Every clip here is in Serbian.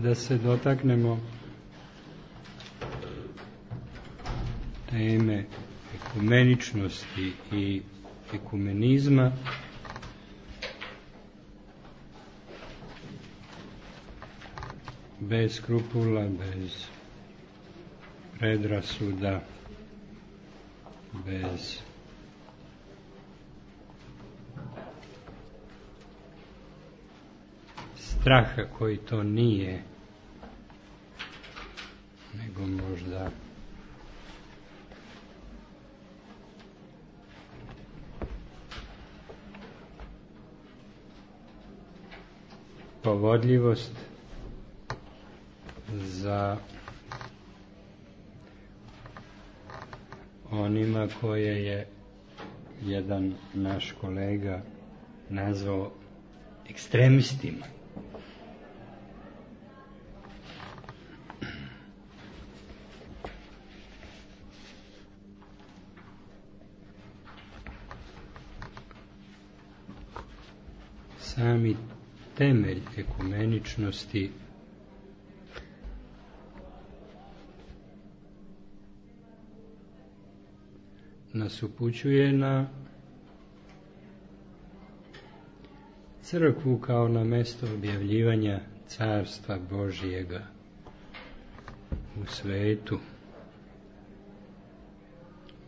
da se dotaknemo teme ekumeničnosti i ekumenizma, bez skrupula, bez predrasuda, bez straha koji to nije, nego možda povodljivost za onima koje je jedan naš kolega nazvao ekstremistima. Sami temelj ekumeničnosti nas upućuje na crkvu kao na mesto objavljivanja Carstva Božjega u svetu,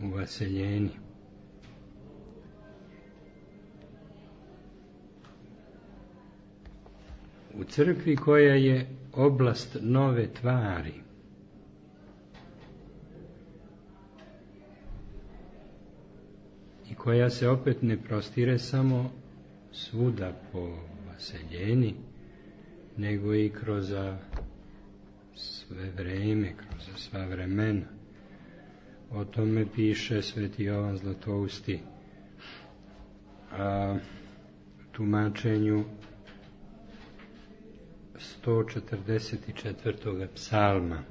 u vaseljeni. U crkvi koja je oblast nove tvari, i koja se opet ne prostire samo svuda po vaseljeni, nego i kroz sve vreme, kroz sva vremena. O tome piše Sveti Jovan Zlatousti u tumačenju 144. psalma.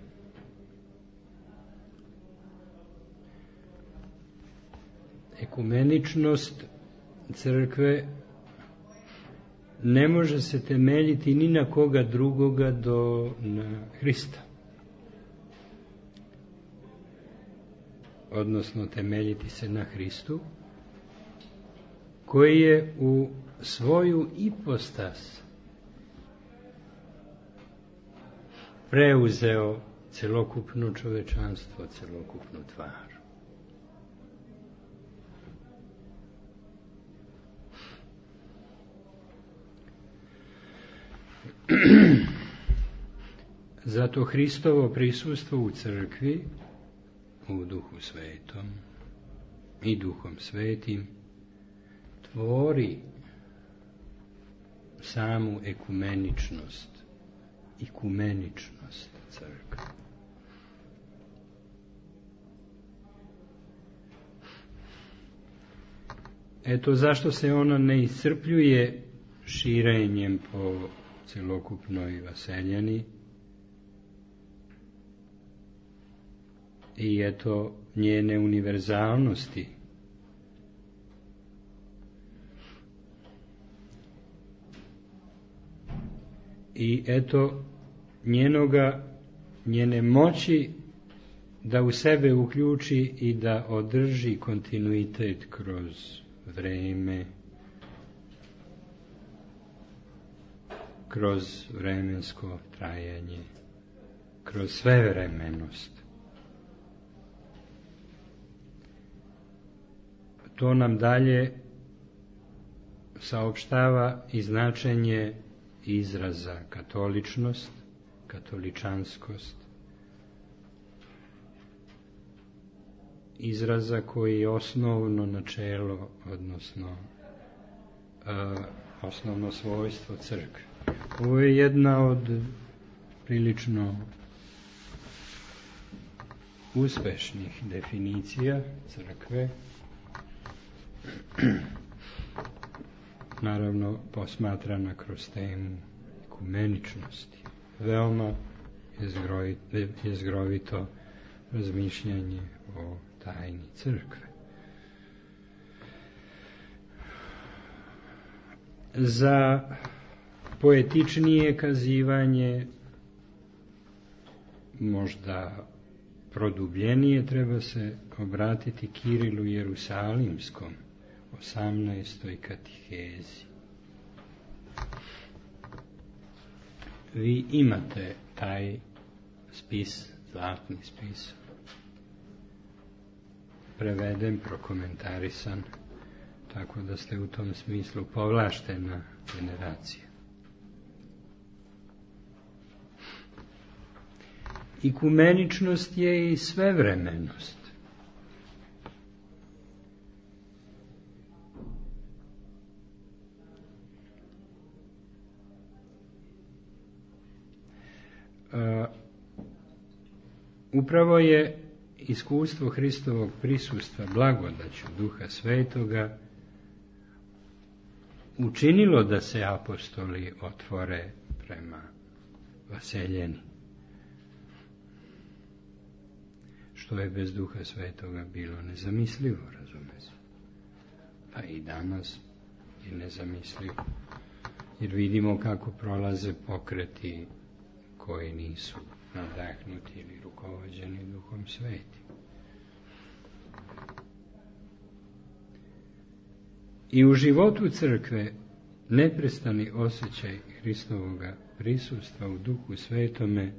Ekumeničnost crkve ne može se temeljiti ni na koga drugoga do na Hrista. Odnosno temeljiti se na Hristu, koji je u svoju ipostas preuzeo celokupno čovečanstvo, celokupnu tvar. Zato Hristovo prisustvo u crkvi, u Duhu Svetom i Duhom Svetim, tvori samu ekumeničnost crkve. Eto zašto se ona ne iscrpljuje širenjem po celokupnoj vaseljeni, i eto njene univerzalnosti. I eto njene moći da u sebe uključi i da održi kontinuitet kroz vreme, kroz vremensko trajanje, kroz svevremenost. To nam dalje saopštava i značenje izraza katoličnost, katoličanskost, izraza koji je osnovno načelo, odnosno osnovno svojstvo crkve. Ovo je jedna od prilično uspešnih definicija crkve, naravno posmatrana kroz temu ekumeničnosti. Veoma jezgrovito razmišljanje o tajni crkve. Za poetičnije kazivanje možda produbljenije treba se obratiti Kirilu Jerusalimskom, 18. katihezi. Vi imate taj spis, zlatni spis, preveden, prokomentarisan, tako da ste u tom smislu povlaštena generacija. Ikumeničnost je i svevremenost. Upravo je iskustvo Hristovog prisustva blagodaću Duha Svetoga učinilo da se apostoli otvore prema vaseljeni, što je bez Duha Svetoga bilo nezamislivo, razume se. Pa i danas je nezamislivo, jer vidimo kako prolaze pokreti koji nisu nadahnuti ili rukovođeni Duhom Svetim. I u životu crkve neprestani osjećaj Hristovoga prisustva u Duhu Svetome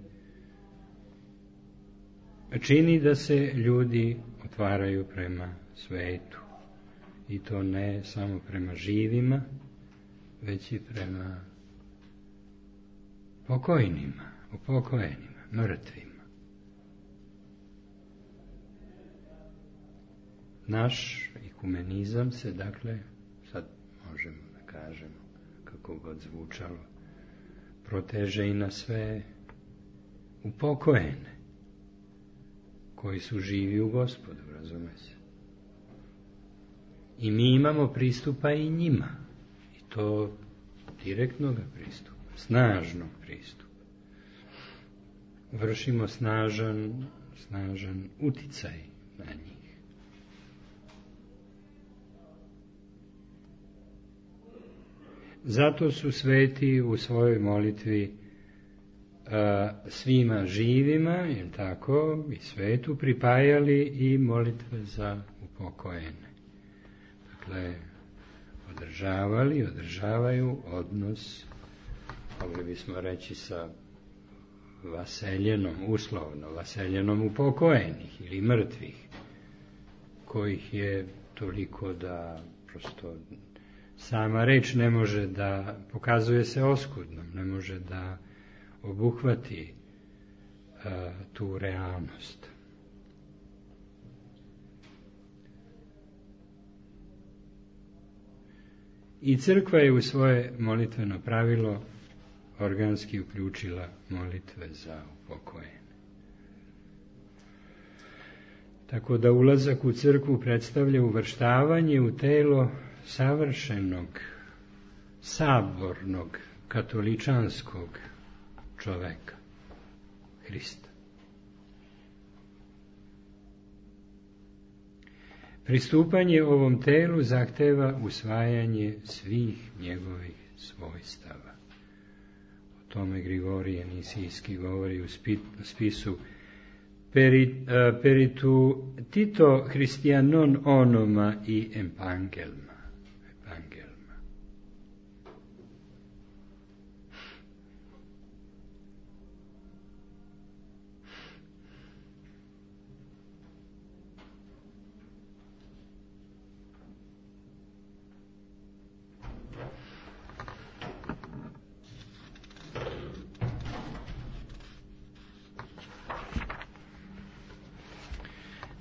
čini da se ljudi otvaraju prema svetu. I to ne samo prema živima, već i prema pokojnima, upokojenima, mrtvima. Naš ikumenizam se, dakle, sad možemo da kažemo, kako god zvučalo, proteže i na sve upokojene, koji su živi u Gospodu, razume se. I mi imamo pristupa i njima, i to direktnog pristupa, snažnog pristupa. Vršimo snažan uticaj na njih. Zato su sveti u svojoj molitvi svima živima, je tako, i svetu pripajali i molitve za upokojene. Dakle, održavaju odnos, mogli bismo reći, sa vaseljenom, uslovno vaseljenom upokojenih ili mrtvih, kojih je toliko da prosto sama reč ne može da, pokazuje se oskudnom, ne može da obuhvati tu realnost. I crkva je u svoje molitveno pravilo organski uključila molitve za upokojene. Tako da ulazak u crkvu predstavlja uvrštavanje u telo savršenog, sabornog, katoličanskog čoveka, Hrista. Pristupanje ovom telu zahteva usvajanje svih njegovih svojstava. O tome Grigorije Nisijski govori u spisu Peritu Tito Christianon onoma i epangelma.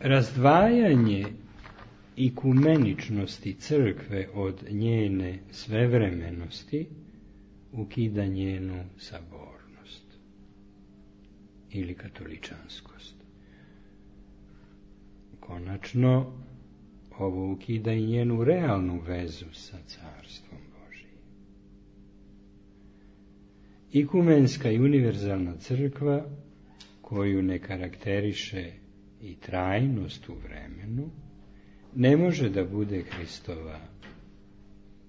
Razdvajanje ikumeničnosti crkve od njene svevremenosti ukida njenu sabornost ili katoličanskost. Konačno, ovo ukida i njenu realnu vezu sa Carstvom Božijim. Ikumenska i univerzalna crkva, koju ne karakteriše i trajnost u vremenu, ne može da bude Hristova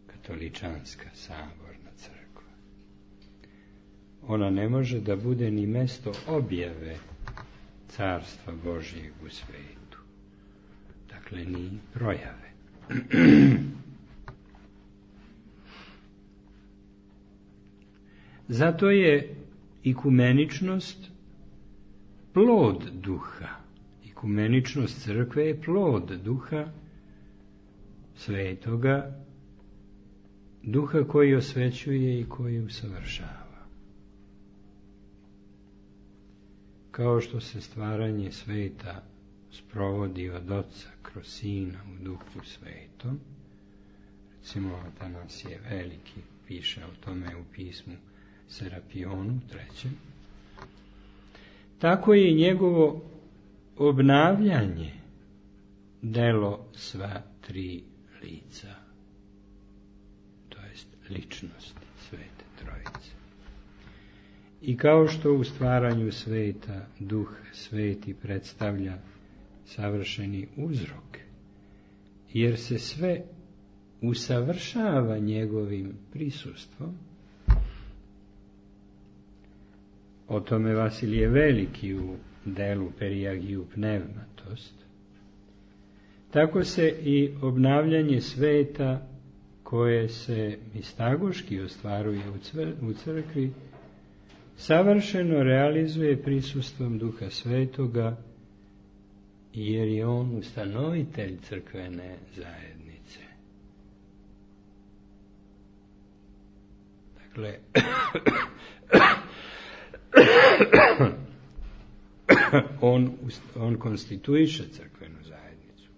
katoličanska saborna crkva. Ona ne može da bude ni mesto objave carstva Božjeg u svetu. Dakle, ni projave. Zato je ikumeničnost plod duha. Ikumeničnost crkve je plod duha svetoga, duha koji osvećuje i koji usavršava. Kao što se stvaranje sveta sprovodi od Oca kroz Sina u Duhu Svetom, recimo Atanasije Veliki piše o tome u pismu Serapionu 3. Tako je njegovo obnavljanje delo sva tri lica, to jest ličnosti Svete Trojice. I kao što u stvaranju sveta Duh Sveti predstavlja savršeni uzrok, jer se sve usavršava njegovim prisustvom, o tome Vasilije Veliki u delu Periagiju Pneumatost, tako se i obnavljanje sveta koje se mistagoški ostvaruje u crkvi savršeno realizuje prisustvom Duha Svetoga, jer je on ustanovitelj crkvene zajednice. Dakle, on konstituiše crkvenu zajednicu.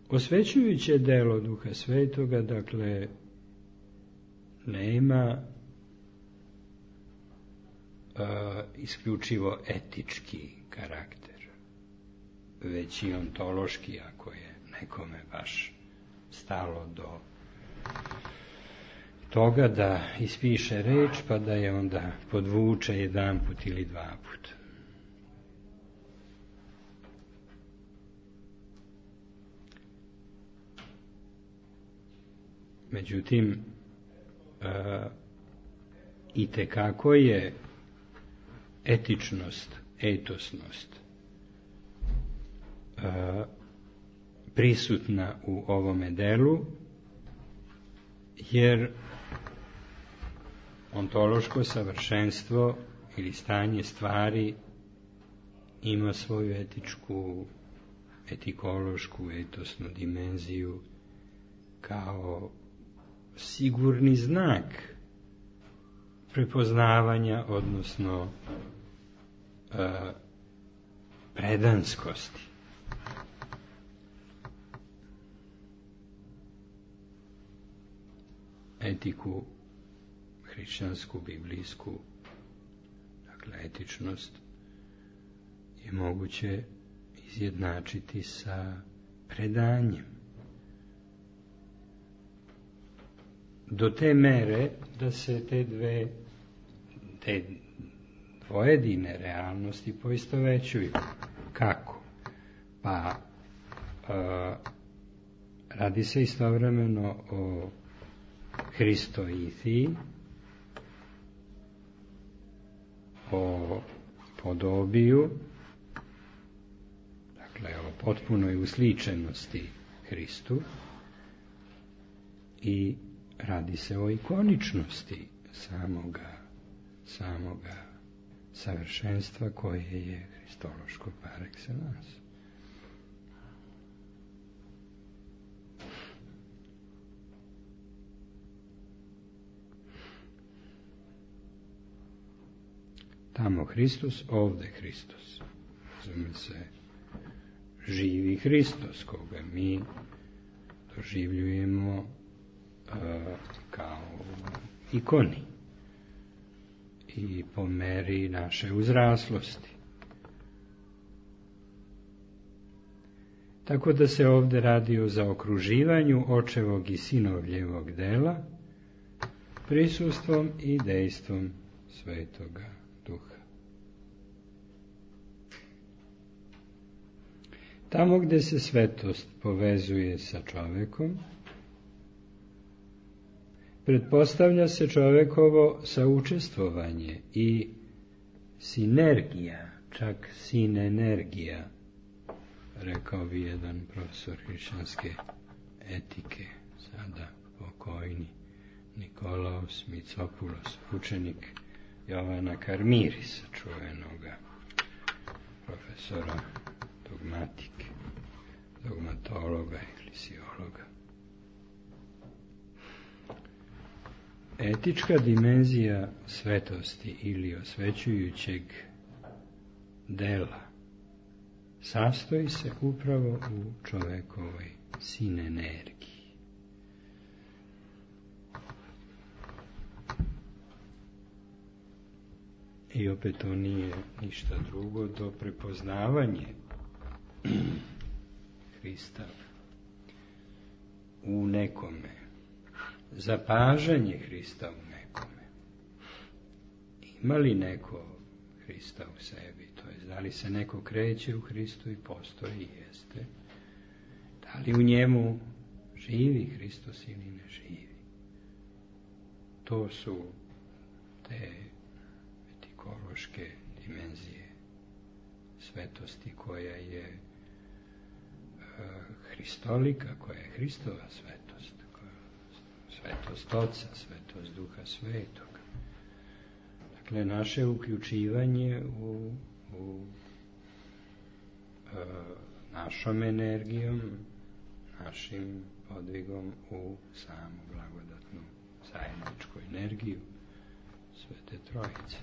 Osvećujuće delo Duha Svetoga, dakle, nema isključivo etički karakter, već i ontološki, ako je nekome baš stalo do toga da ispiše reč, pa da je onda podvuče jedanput ili dvaput. Međutim, itekako je etičnost, etosnost prisutna u ovome delu, jer ontološko savršenstvo ili stanje stvari ima svoju etikološku, etosnu dimenziju kao sigurni znak prepoznavanja, odnosno predanskosti. Etiku hrišćansku, biblijsku, dakle etičnost, je moguće izjednačiti sa predanjem. Do te mere da se te dvojedine realnosti poistovećuju. Kako? Pa radi se istovremeno o Hristoithiji, o podobiju, dakle o potpunoj usličenosti Hristu, i radi se o ikoničnosti samoga savršenstva koje je hristološko par excellence. Tamo Hristos, ovde Hristos. Razume se, živi Hristos, koga mi doživljujemo kao ikoni i po meri naše uzraslosti. Tako da se ovde radi o zaokruživanju očevog i sinovljevog dela prisustvom i dejstvom Svetoga Duha. Tamo gde se svetost povezuje sa čovekom, pretpostavlja se čovekovo saučestvovanje i sinergija, čak sinenergija, rekao bi jedan profesor hrišćanske etike, sada pokojni Nikolaos Mitsopulos, učenik Jovana Karmirisa, čuvenoga profesora dogmatike, dogmatologa ili siologa. Etička dimenzija svetosti ili osvećujućeg dela sastoji se upravo u čovekovoj sinenergiji. I opet to nije ništa drugo do prepoznavanje Hrista u nekome, zapažanje Hrista u nekome. Ima li neko Hrista u sebi? To je, da li se neko kreće u Hristu i postoji, jeste. Da li u njemu živi Hristos ili ne živi? To su te etikološke dimenzije svetosti koja je hristolika, koja je Hristova svetost, svetost Oca, svetost Duha Svetog. Dakle, naše uključivanje u našom energijom, našim podvigom u samu blagodatnu zajedničku energiju Svete Trojice.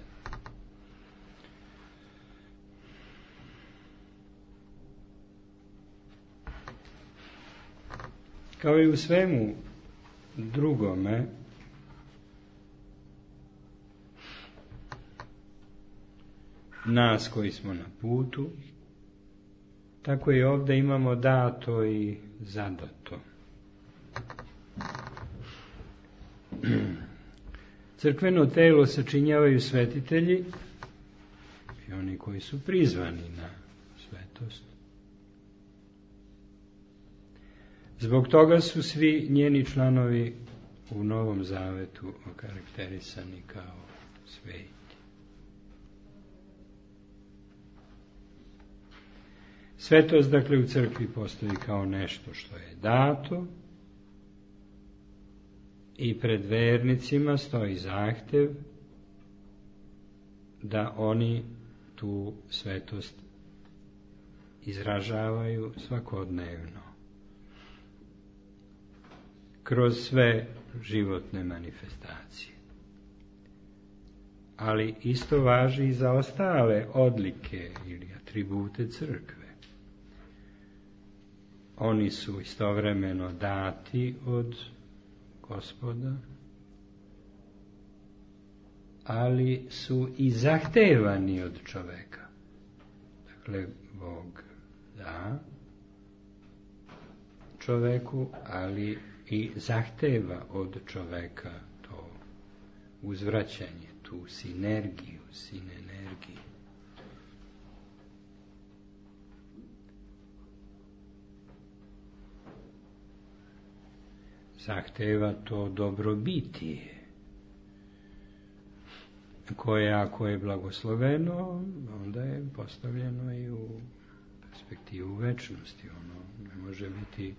Kao i u svemu drugome, nas koji smo na putu, tako i ovdje imamo dato i zadato. Crkveno telo sačinjavaju svetitelji i oni koji su prizvani na svetost. Zbog toga su svi njeni članovi u Novom Zavetu okarakterisani kao sveti. Svetost, dakle, u crkvi postoji kao nešto što je dato i pred vernicima stoji zahtev da oni tu svetost izražavaju svakodnevno kroz sve životne manifestacije. Ali isto važi i za ostale odlike ili atribute crkve. Oni su istovremeno dati od Gospoda, ali su i zahtevani od čoveka. Dakle, Bog da čoveku, ali i zahteva od čoveka to uzvraćanje, tu sinergiju, sinenergiju. Zahteva to dobrobitije, koje ako je blagosloveno, onda je postavljeno i u perspektivu večnosti. Ono ne može biti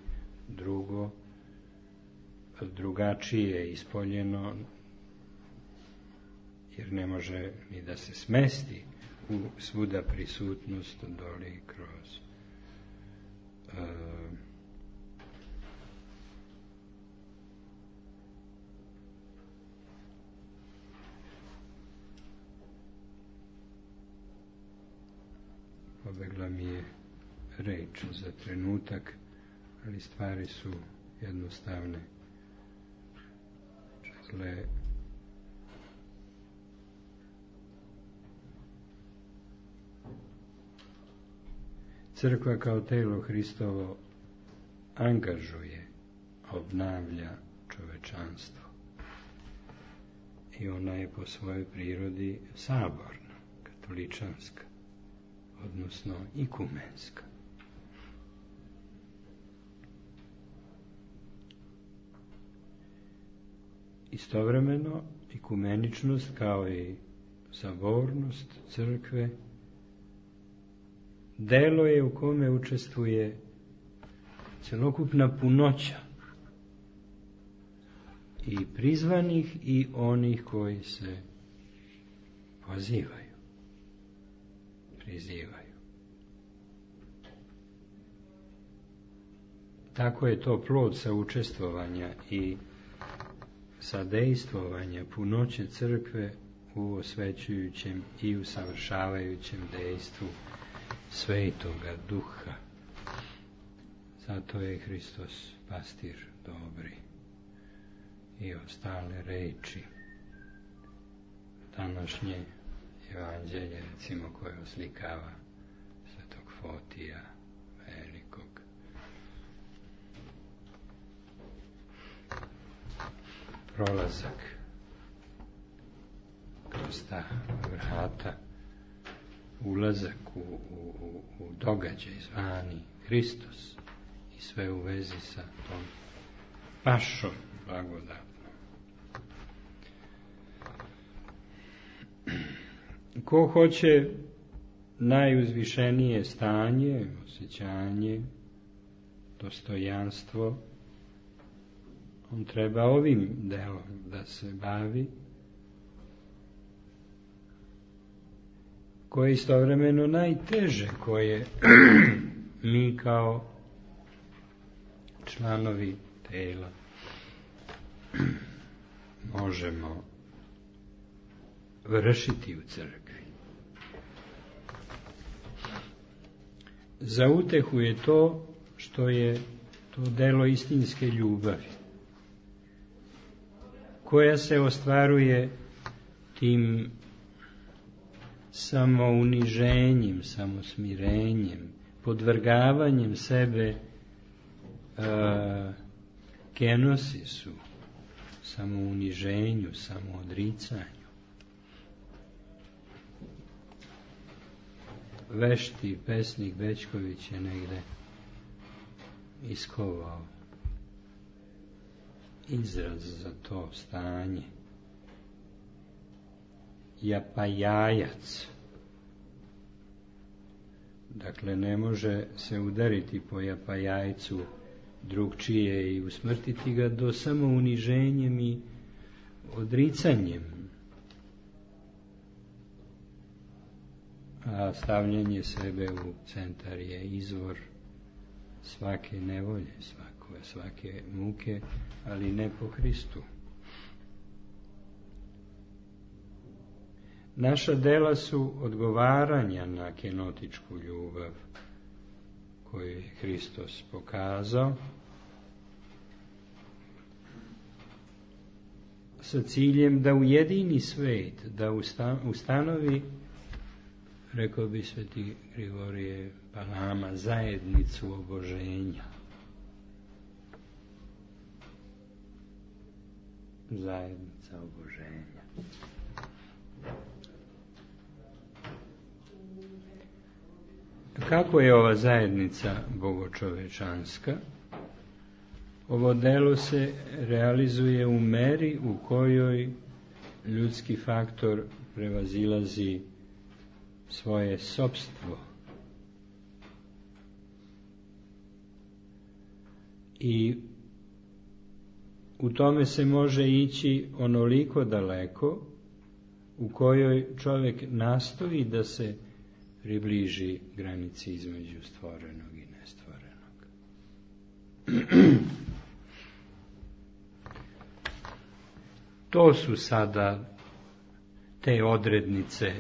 drugačije ispoljeno, jer ne može ni da se smesti u svuda prisutnost doli kroz pobegla mi je reč za trenutak, ali stvari su jednostavne. Dakle, crkva kao telo Hristovo angažuje, obnavlja čovečanstvo. I ona je po svojoj prirodi saborna, katoličanska, odnosno ikumenska. istovremeno ekumeničnost kao i sabornost crkve delo je u kome učestvuje celokupna punoća i prizvanih i onih koji se pozivaju, prizivaju. Tako je to plod saučestvovanja i sadejstvovanja punoće crkve u osvećujućem i usavršavajućem dejstvu Svetoga Duha. Zato je Hristos pastir dobri i ostale reči današnje evanđelje, recimo, koje oslikava Svetog Fotija velikog. Prolazak kroz ta vrata, ulazak u događaj zvani Hristos i sve u vezi sa tom pašom blagodatnom. Ko hoće najuzvišenije stanje, osjećanje, dostojanstvo, on treba ovim delom da se bavi, koje je istovremeno najteže, koje mi kao članovi tela možemo vršiti u crkvi. Za utehu je to što je to delo istinske ljubavi, koja se ostvaruje tim samouniženjem, samosmirenjem, podvrgavanjem sebe kenosisu, samouniženju, samoodricanju. Vešti pesnik Bećković je negde iskovao izraz za to stanje. Japajajac. Dakle, ne može se udariti po japajajcu drugčije i usmrtiti ga do samouniženjem i odricanjem. A stavljanje sebe u centar je izvor svake nevolje, svake muke, ali ne po Hristu. Naša dela su odgovaranja na kenotičku ljubav koju je Hristos pokazao sa ciljem da ujedini svet, da ustanovi, rekao bi sveti Grigorije Palama, zajednicu oboženja. Zajednica oboženja. Kako je ova zajednica bogočovečanska? Ovo delo se realizuje u meri u kojoj ljudski faktor prevazilazi svoje sopstvo i u tome se može ići onoliko daleko u kojoj čovjek nastoji da se približi granici između stvorenog i nestvorenog. To su sada te odrednice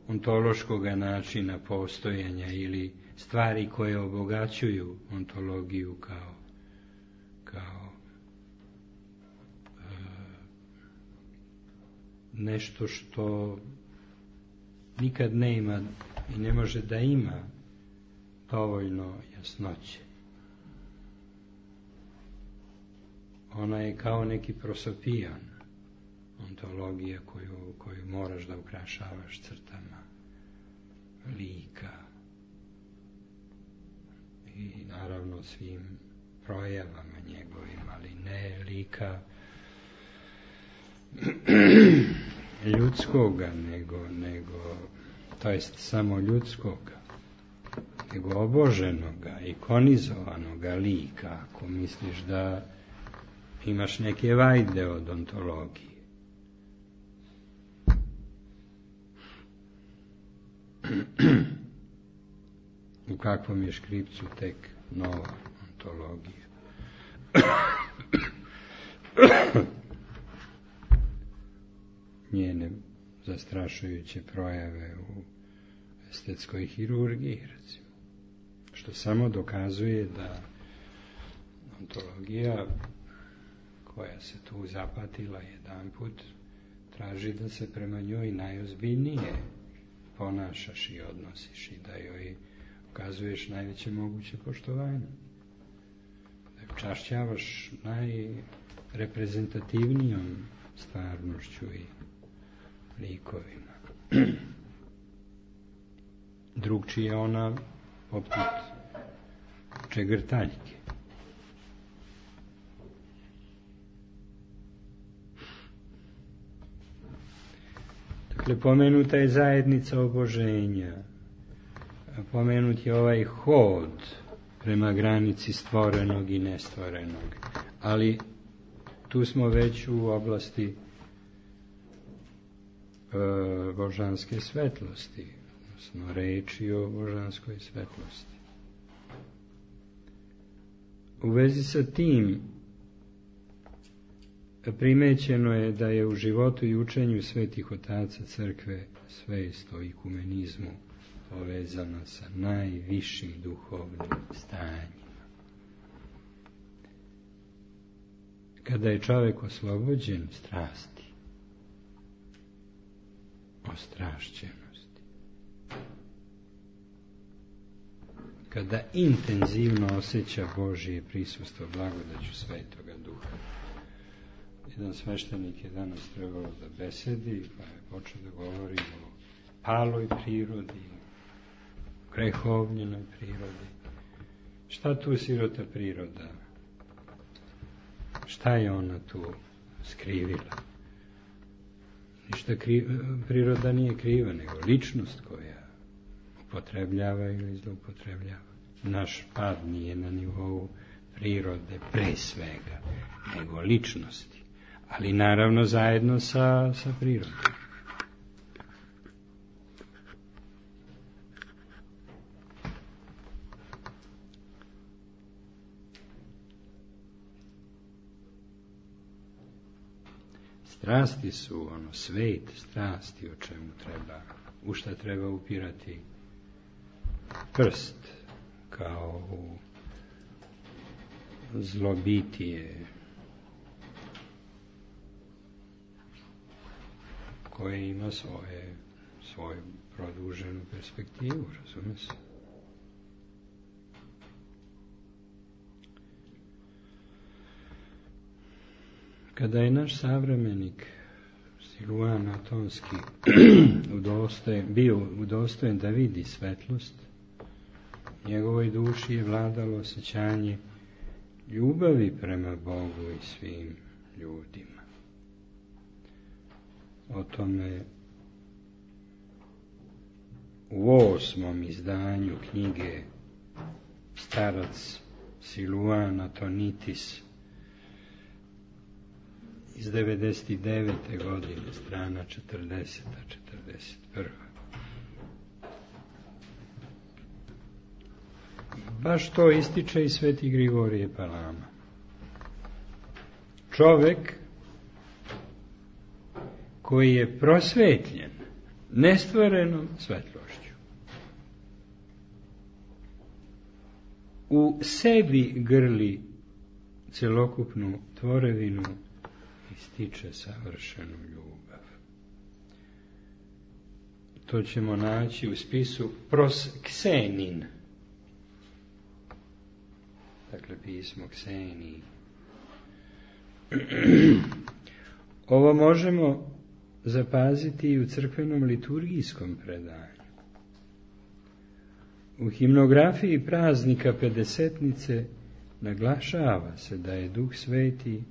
ontološkog načina postojanja ili stvari koje obogaćuju ontologiju kao nešto što nikad ne ima i ne može da ima dovoljno jasnoće. Ona je kao neki prosopijan, ontologija koju moraš da ukrašavaš crtama lika i naravno svim projavama njegovim, ali ne lika ljudskoga, nego to jest samo ljudskoga, nego oboženoga, ikonizovanoga lika, ako misliš da imaš neke vajde od ontologije. U kakvom je škripcu tek nova ontologija. Njene zastrašujuće projave u estetskoj hirurgiji, recimo, što samo dokazuje da ontologija koja se tu zapatila jedanput traži da se prema njoj najozbiljnije ponašaš i odnosiš i da joj ukazuješ najveće moguće poštovanje. Da je čašćavaš najreprezentativnijom stvarnošću i likovima. Drugčije ona poput čegrtaljke. Dakle, pomenuta je zajednica oboženja, pomenut je ovaj hod prema granici stvorenog i nestvorenog, ali tu smo već u oblasti božanske svetlosti, odnosno reči o božanskoj svetlosti. U vezi sa tim primećeno je da je u životu i učenju svetih otaca crkve svest o ikumenizmu povezana sa najvišim duhovnim stanjima. Kada je čovjek oslobođen strasti, ostrašćenosti, kada intenzivno osjeća Božje prisustvo blagodaću Svetoga Duha. Jedan sveštenik je danas trebalo da besedi, pa je počeo da govori o paloj prirodi, o grehovljenoj prirodi. Šta tu sirota priroda? Šta je ona tu skrivila? Ništa priroda nije kriva, nego ličnost koja upotrebljava ili zloupotrebljava. Naš pad nije na nivou prirode pre svega, nego ličnosti. Ali naravno zajedno sa prirodom. Strasti su svet strasti u šta treba upirati prst kao u zlobitije koje ima svoju produženu perspektivu, razume se. Kada je naš savremenik Siluan Atonski bio udostojen da vidi svetlost, njegovoj duši je vladalo osjećanje ljubavi prema Bogu i svim ljudima. O tome u 8. izdanju knjige starac Siluan Atonitis iz 99. godine, strana 40. 41. Baš to ističe i sveti Grigorije Palama. Čovek koji je prosvetljen nestvorenom svetlošću, u sebi grli celokupnu tvorevinu i stiče savršenu ljubav. To ćemo naći u spisu Prosksenin. Dakle, pismo Kseniji. Ovo možemo zapaziti i u crkvenom liturgijskom predanju. U himnografiji praznika Pedesetnice naglašava se da je Duh Sveti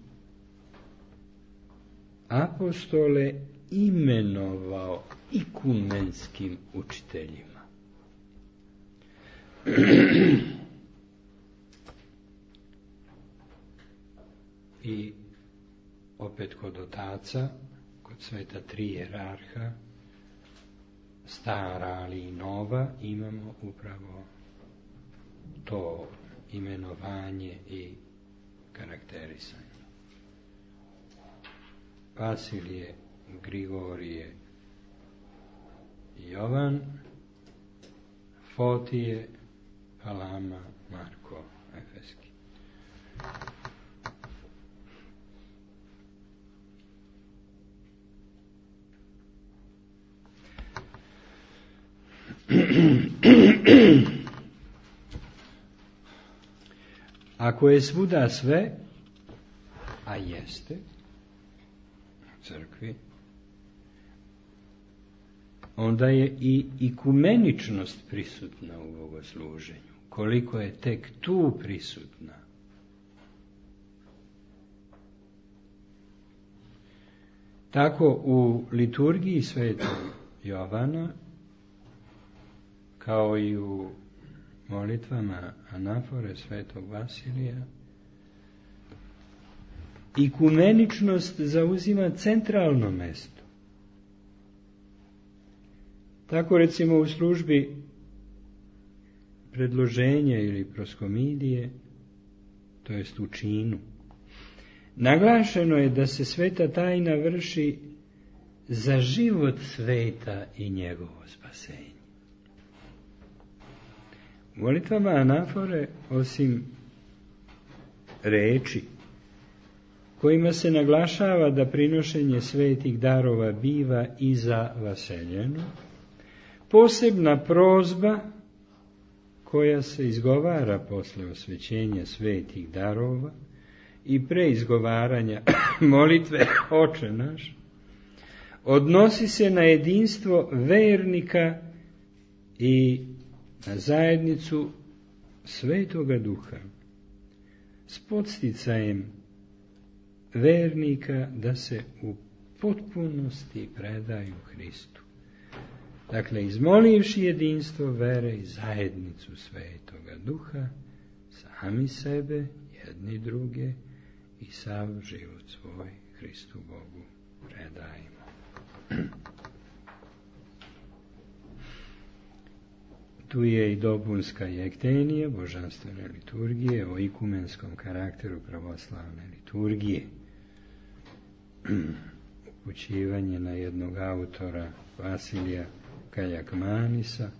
apostole imenovao ikumenskim učiteljima. I opet kod otaca, kod sveta tri jerarha, stara ali i nova, imamo upravo to imenovanje i karakterisanje. Vasilije, Grigorije, Jovan, Fotije, Palama, Marko, Efeski. Ako je svuda sve, a jeste u crkvi, onda je i ikumeničnost prisutna u bogosluženju. Koliko je tek tu prisutna. Tako u liturgiji svetog Jovana, kao i u molitvama anafore svetog Vasilija, ikumeničnost zauzima centralno mesto. Tako recimo u službi predloženja ili proskomidije, to jest u činu, naglašeno je da se sveta tajna vrši za život sveta i njegovo spasenje. U molitvama anafore, osim reči kojima se naglašava da prinošenje svetih darova biva i za vaseljeno, posebna prozba koja se izgovara posle osvećenja svetih darova i pre izgovaranja molitve Oče naš, odnosi se na jedinstvo vernika i na zajednicu Svetoga Duha s podsticajem vernika da se u potpunosti predaju Hristu. Dakle, izmolivši jedinstvo vere i zajednicu Svetoga Duha, sami sebe, jedni druge i sav život svoj Hristu Bogu predajemo. Tu je i dopunska jektenija, božanstvene liturgije, o ikumenskom karakteru pravoslavne liturgije. Upućivanje na jednog autora, Vasilija Kaljakmanisa,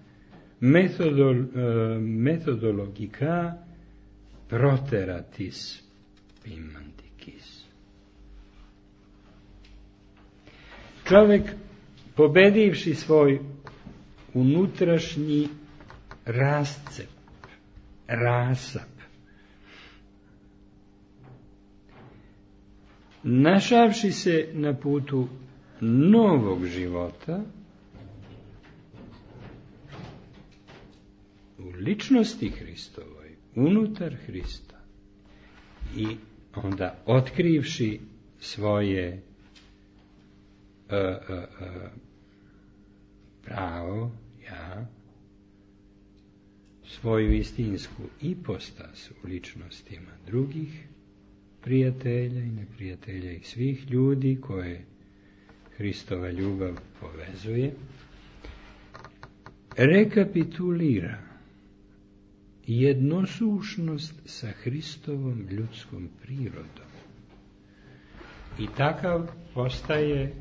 metodologika proteratis pimantikis. Čovjek, pobedivši svoj unutrašnji rascep, rasap, našavši se na putu novog života, u ličnosti Hristovoj, unutar Hrista, i onda otkrivši svoje pravo, ja, svoju istinsku ipostas u ličnostima drugih prijatelja i neprijatelja i svih ljudi koje Hristova ljubav povezuje, rekapitulira jednosušnost sa Hristovom ljudskom prirodom. I takav postaje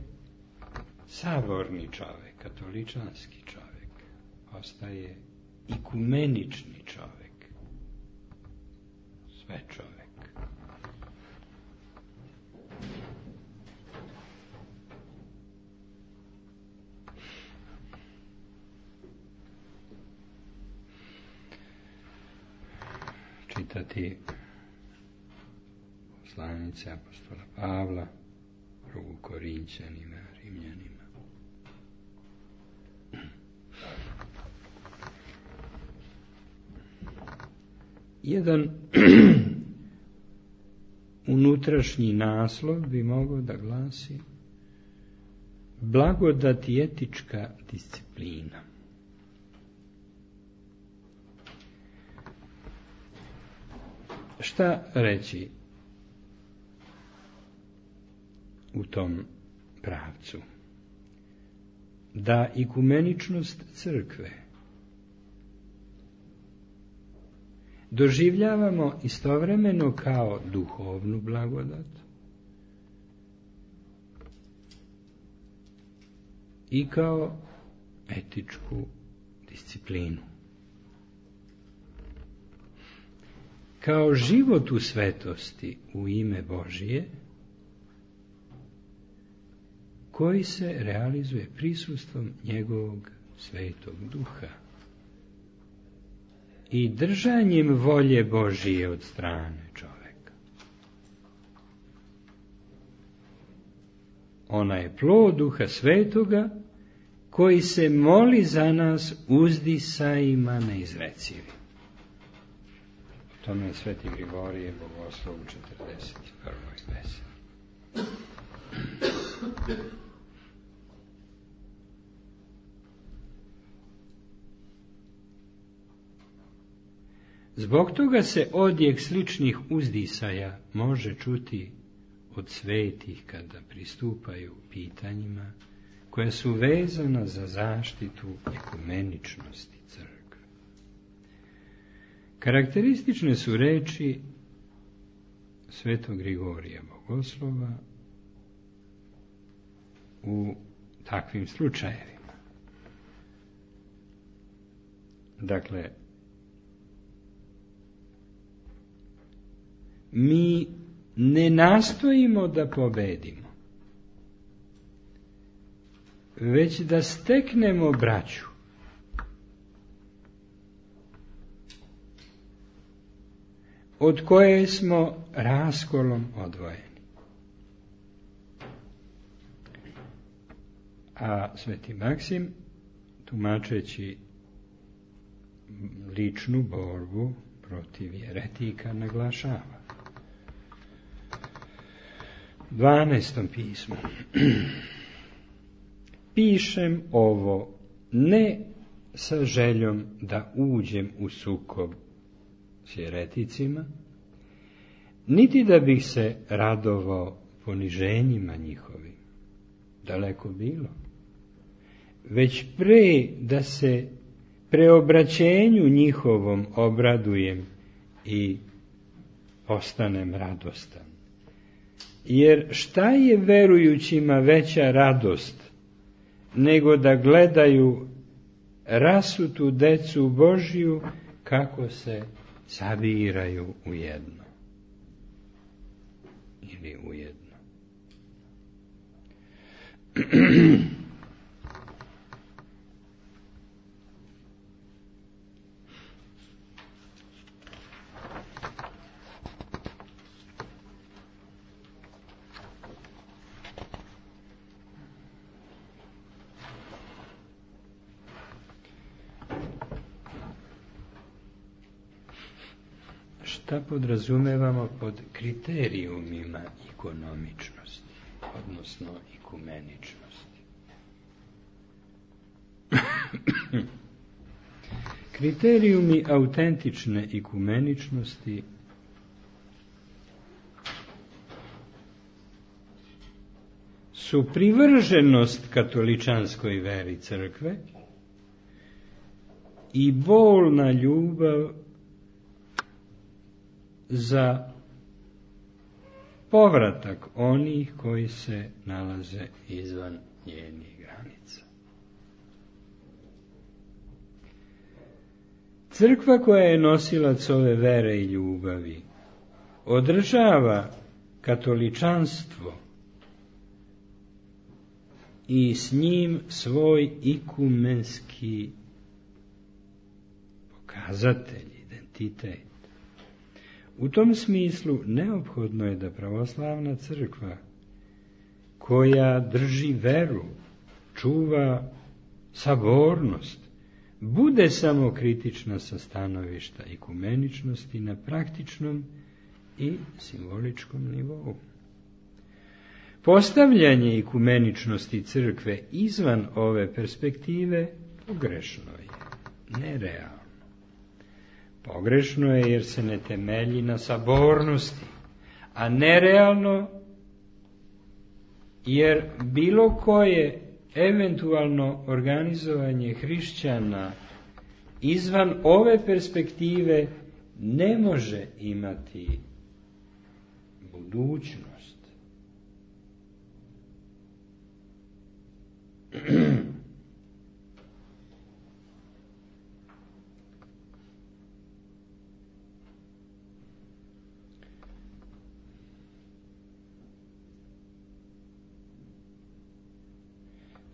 saborni čovjek, katoličanski čovjek, postaje ikumenični čovjek, sve čovjek. Čitati poslanice apostola Pavla, drugu Korinćanima, Rimljanima. Jedan unutrašnji naslov bi mogao da glasi blagodat i etička disciplina. Šta reći u tom pravcu? Da ikumeničnost crkve doživljavamo istovremeno kao duhovnu blagodat i kao etičku disciplinu. Kao život u svetosti u ime Božije, koji se realizuje prisustvom njegovog Svetog Duha i držanjem volje Božije od strane čoveka. Ona je plod Duha Svetoga koji se moli za nas uzdisajima neizrecivim. Tome je Sveti Grigorije Bogoslov u 41. pesmi. Zbog toga se odjek sličnih uzdisaja može čuti od svetih kada pristupaju pitanjima koja su vezana za zaštitu ekumeničnosti crkve. Karakteristične su reči Svetog Grigorija Bogoslova u takvim slučajevima. Dakle, mi ne nastojimo da pobedimo, već da steknemo braću. Od koje smo raskolom odvojeni. A Sveti Maksim, tumačeći ličnu borbu protiv jeretika, naglašava. 12. pismu. Pišem ovo ne sa željom da uđem u sukob s jereticima, niti da bih se radovao poniženjima njihovim, daleko bilo, već pre da se preobraćenju njihovom obradujem i postanem radostan. Jer šta je verujućima veća radost nego da gledaju rasutu decu Božju kako se sabiraju u jedno ili u jedno. Šta podrazumevamo pod kriterijumima ikonomičnosti, odnosno ikumeničnosti? Kriterijumi autentične ikumeničnosti su privrženost katoličanskoj veri crkve i bolna ljubav za povratak onih koji se nalaze izvan njenih granica. Crkva koja je nosilac ove vere i ljubavi održava katoličanstvo i s njim svoj ikumenski pokazatelj, identitet. U tom smislu neophodno je da pravoslavna crkva koja drži veru, čuva sabornost, bude samo kritična sa stanovišta ekumeničnosti na praktičnom i simboličkom nivou. Postavljanje ekumeničnosti crkve izvan ove perspektive pogrešno je, nerealno. Pogrešno je jer se ne temelji na sabornosti, a nerealno jer bilo koje eventualno organizovanje hrišćana izvan ove perspektive ne može imati budućnost.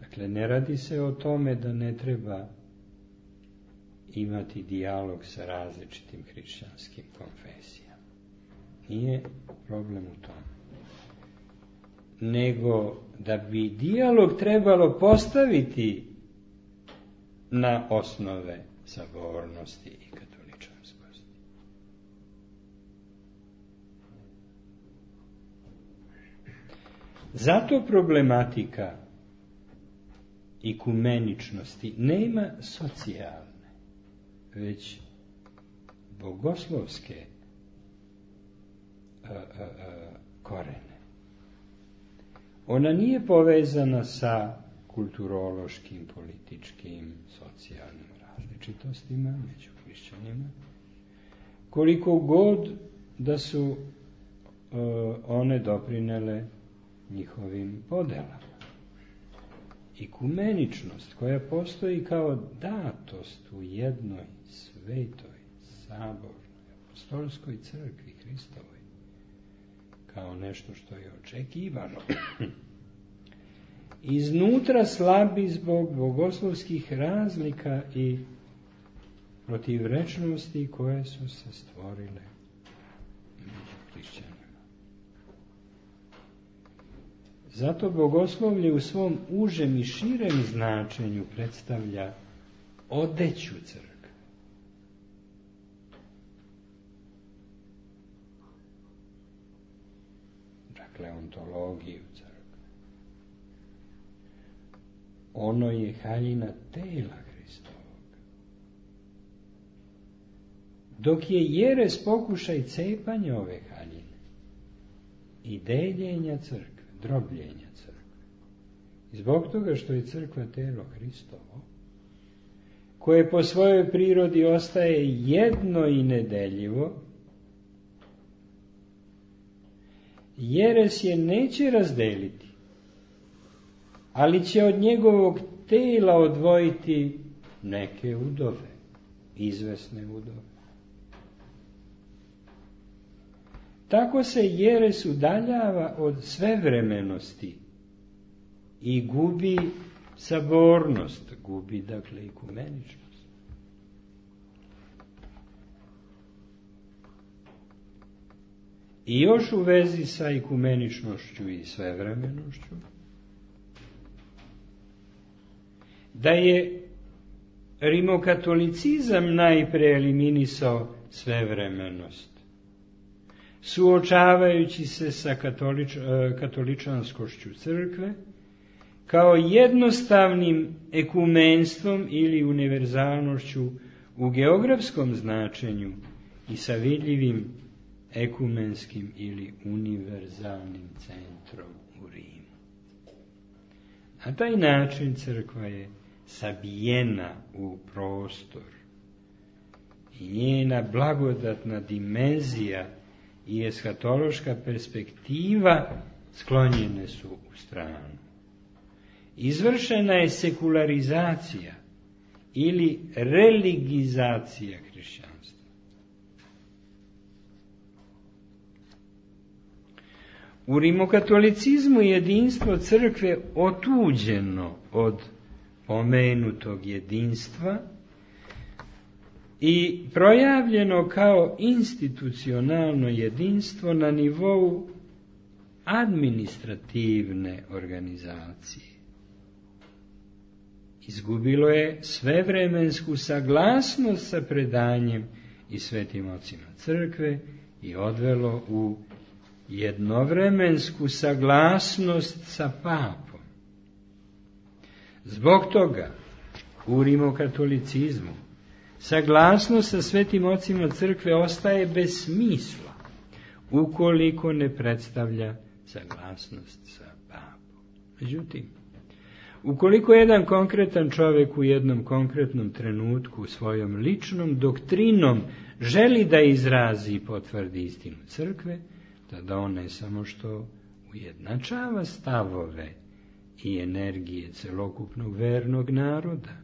Dakle, ne radi se o tome da ne treba imati dijalog sa različitim hrišćanskim konfesijama. Nije problem u tome. Nego da bi dijalog trebalo postaviti na osnove sabornosti i katoličanskosti. Zato problematika ekumeničnosti nema socijalne, već bogoslovske korene. Ona nije povezana sa kulturološkim, političkim, socijalnim različitostima među hrišćanima, koliko god da su one doprinele njihovim podelama. Ekumeničnost koja postoji kao datost u jednoj svetoj, sabornoj, apostolskoj crkvi Hristovoj, kao nešto što je očekivano, iznutra slabi zbog bogoslovskih razlika i protivrečnosti koje su se stvorile među hrišćanima. Zato bogoslovlje u svom užem i širem značenju predstavlja odeću crkve. Dakle, ontologiju crkve. Ono je haljina tela Hristovog. Dok je jeres pokušaj cepanja ove haljine i deljenja crkve, drobljenja crkve. Zbog toga što je crkva telo Hristovo, koje po svojoj prirodi ostaje jedno i nedeljivo, jeres je neće razdeliti, ali će od njegovog tela odvojiti neke udove, izvesne udove. Tako se jeres udaljava od svevremenosti i gubi sabornost, gubi dakle ekumeničnost. I još u vezi sa ekumeničnošću i svevremenošću, da je rimokatolicizam najpre eliminisao svevremenost, suočavajući se sa katoličanskošću crkve kao jednostavnim ekumenstvom ili univerzalnošću u geografskom značenju i sa vidljivim ekumenskim ili univerzalnim centrom u Rimu. Na taj način crkva je sabijena u prostor i njena blagodatna dimenzija i eshatološka perspektiva sklonjene su u stranu. Izvršena je sekularizacija ili religizacija hrišćanstva. U rimokatolicizmu jedinstvo crkve otuđeno od pomenutog jedinstva i projavljeno kao institucionalno jedinstvo na nivou administrativne organizacije. izgubilo je svevremensku saglasnost sa predanjem i svetim ocima crkve i odvelo u jednovremensku saglasnost sa papom. Zbog toga u rimokatolicizmu saglasnost sa svetim ocima crkve ostaje bez smisla ukoliko ne predstavlja saglasnost sa papom. Međutim, ukoliko jedan konkretan čovjek u jednom konkretnom trenutku svojom ličnom doktrinom želi da izrazi i potvrdi istinu crkve, tada on ne samo što ujednačava stavove i energije celokupnog vernog naroda,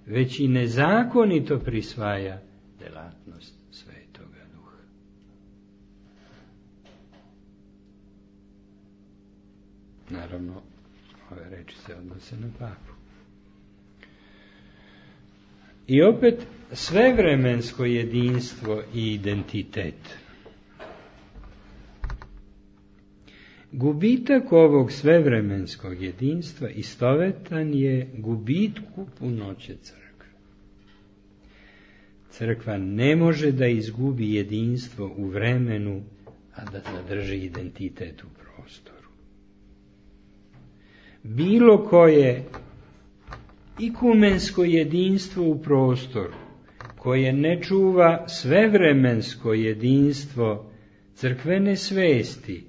već i nezakonito prisvaja delatnost Svetoga Duha. Naravno, ove reči se odnose na papu. I opet svevremensko jedinstvo i identitet. Gubitak ovog svevremenskog jedinstva istovetan je gubitku punoće crkve. Crkva ne može da izgubi jedinstvo u vremenu, a da zadrži identitet u prostoru. Bilo koje ikumensko jedinstvo u prostoru, koje ne čuva svevremensko jedinstvo crkvene svesti,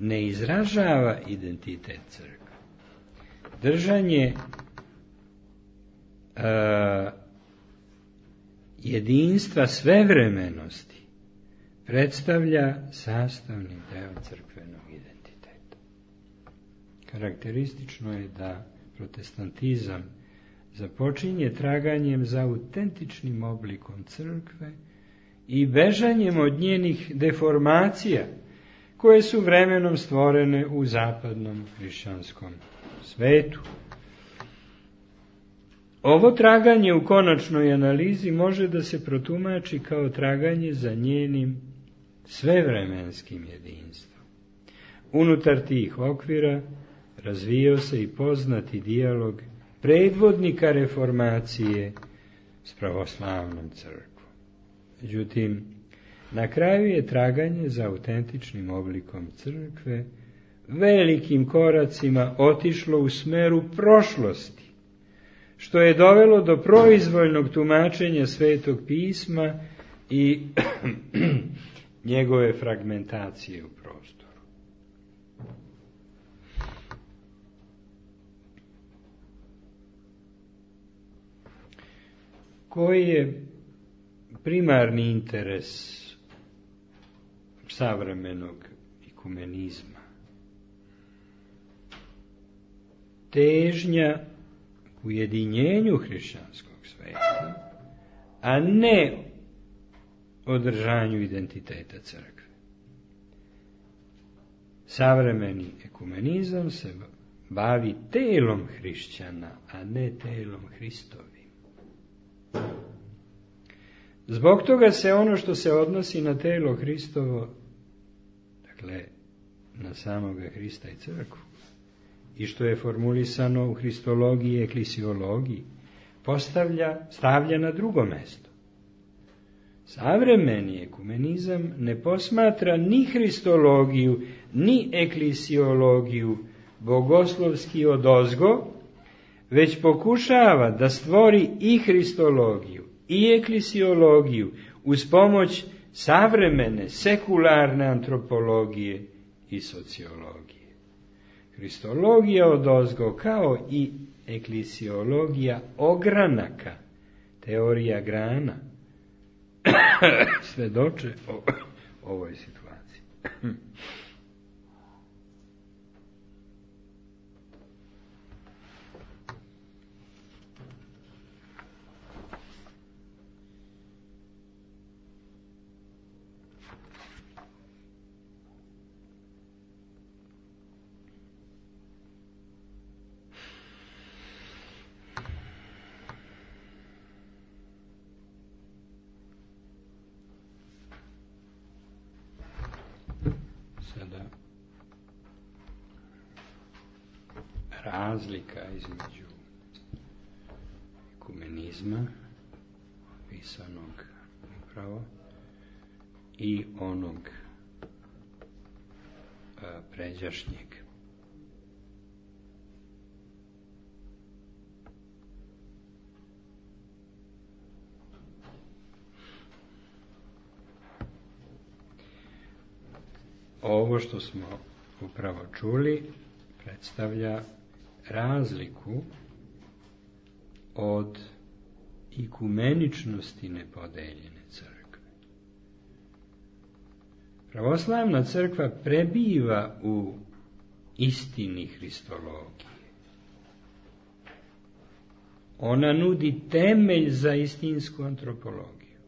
ne izražava identitet crkve. Držanje jedinstva svevremenosti predstavlja sastavni deo crkvenog identiteta. Karakteristično je da protestantizam započinje traganjem za autentičnim oblikom crkve i bežanjem od njenih deformacija, koje su vremenom stvorene u zapadnom hrišćanskom svetu. Ovo traganje u konačnoj analizi može da se protumači kao traganje za njenim svevremenskim jedinstvom. Unutar tih okvira razvijao se i poznati dijalog predvodnika reformacije s pravoslavnom crkvom. Međutim, na kraju je traganje za autentičnim oblikom crkve velikim koracima otišlo u smeru prošlosti, što je dovelo do proizvoljnog tumačenja Svetog pisma i njegove fragmentacije u prostoru. Koji je primarni interes savremenog ikumenizma? Težnja k ujedinjenju hrišćanskog sveta, a ne održanju identiteta crkve. Savremeni ekumenizam se bavi telom hrišćana, a ne telom Hristovim. Zbog toga se ono što se odnosi na telo Hristovo, dakle na samoga Hrista i crkvu, i što je formulisano u hristologiji i eklisiologiji, stavlja na drugo mesto. Savremeni ekumenizam ne posmatra ni hristologiju, ni eklisiologiju bogoslovski odozgo, već pokušava da stvori i hristologiju i eklisiologiju uz pomoć savremene, sekularne antropologije i sociologije. Hristologija odozgo kao i eklisiologija ogranaka, teorija grana, svedoče o ovoj situaciji. Razlika između pisma, pisanog upravo, i onog pređašnjeg. Ovo što smo upravo čuli predstavlja razliku od ikumeničnosti nepodeljene crkve. Pravoslavna crkva prebiva u istini hristologije. Ona nudi temelj za istinsku antropologiju.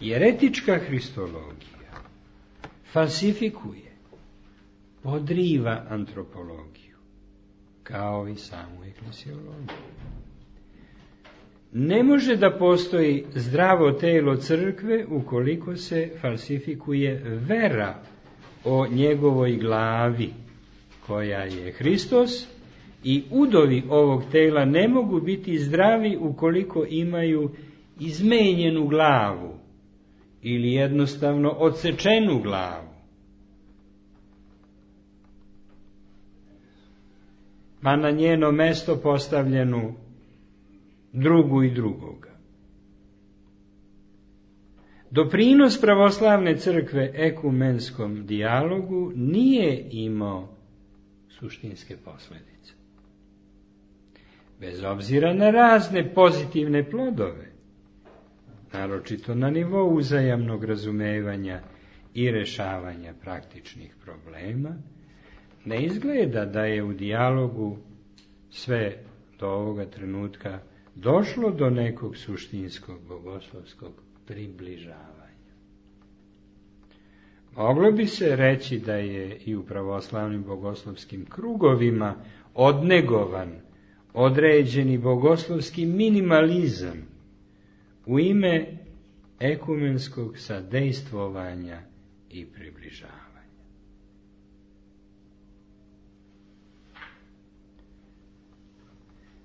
Jeretička hristologija falsifikuje, podriva antropologiju, kao i samu eklesiologiju. Ne može da postoji zdravo telo crkve ukoliko se falsifikuje vera o njegovoj glavi, koja je Hristos, i udovi ovog tela ne mogu biti zdravi ukoliko imaju izmenjenu glavu ili jednostavno odsečenu glavu. Pa na njeno mesto postavljenu drugu i drugoga. Doprinos pravoslavne crkve ekumenskom dijalogu nije imao suštinske posljedice. Bez obzira na razne pozitivne plodove, naročito na nivou uzajamnog razumevanja i rešavanja praktičnih problema, ne izgleda da je u dijalogu sve do ovoga trenutka došlo do nekog suštinskog bogoslovskog približavanja. Moglo bi se reći da je i u pravoslavnim bogoslovskim krugovima odnegovan određeni bogoslovski minimalizam u ime ekumenskog sadejstvovanja i približavanja.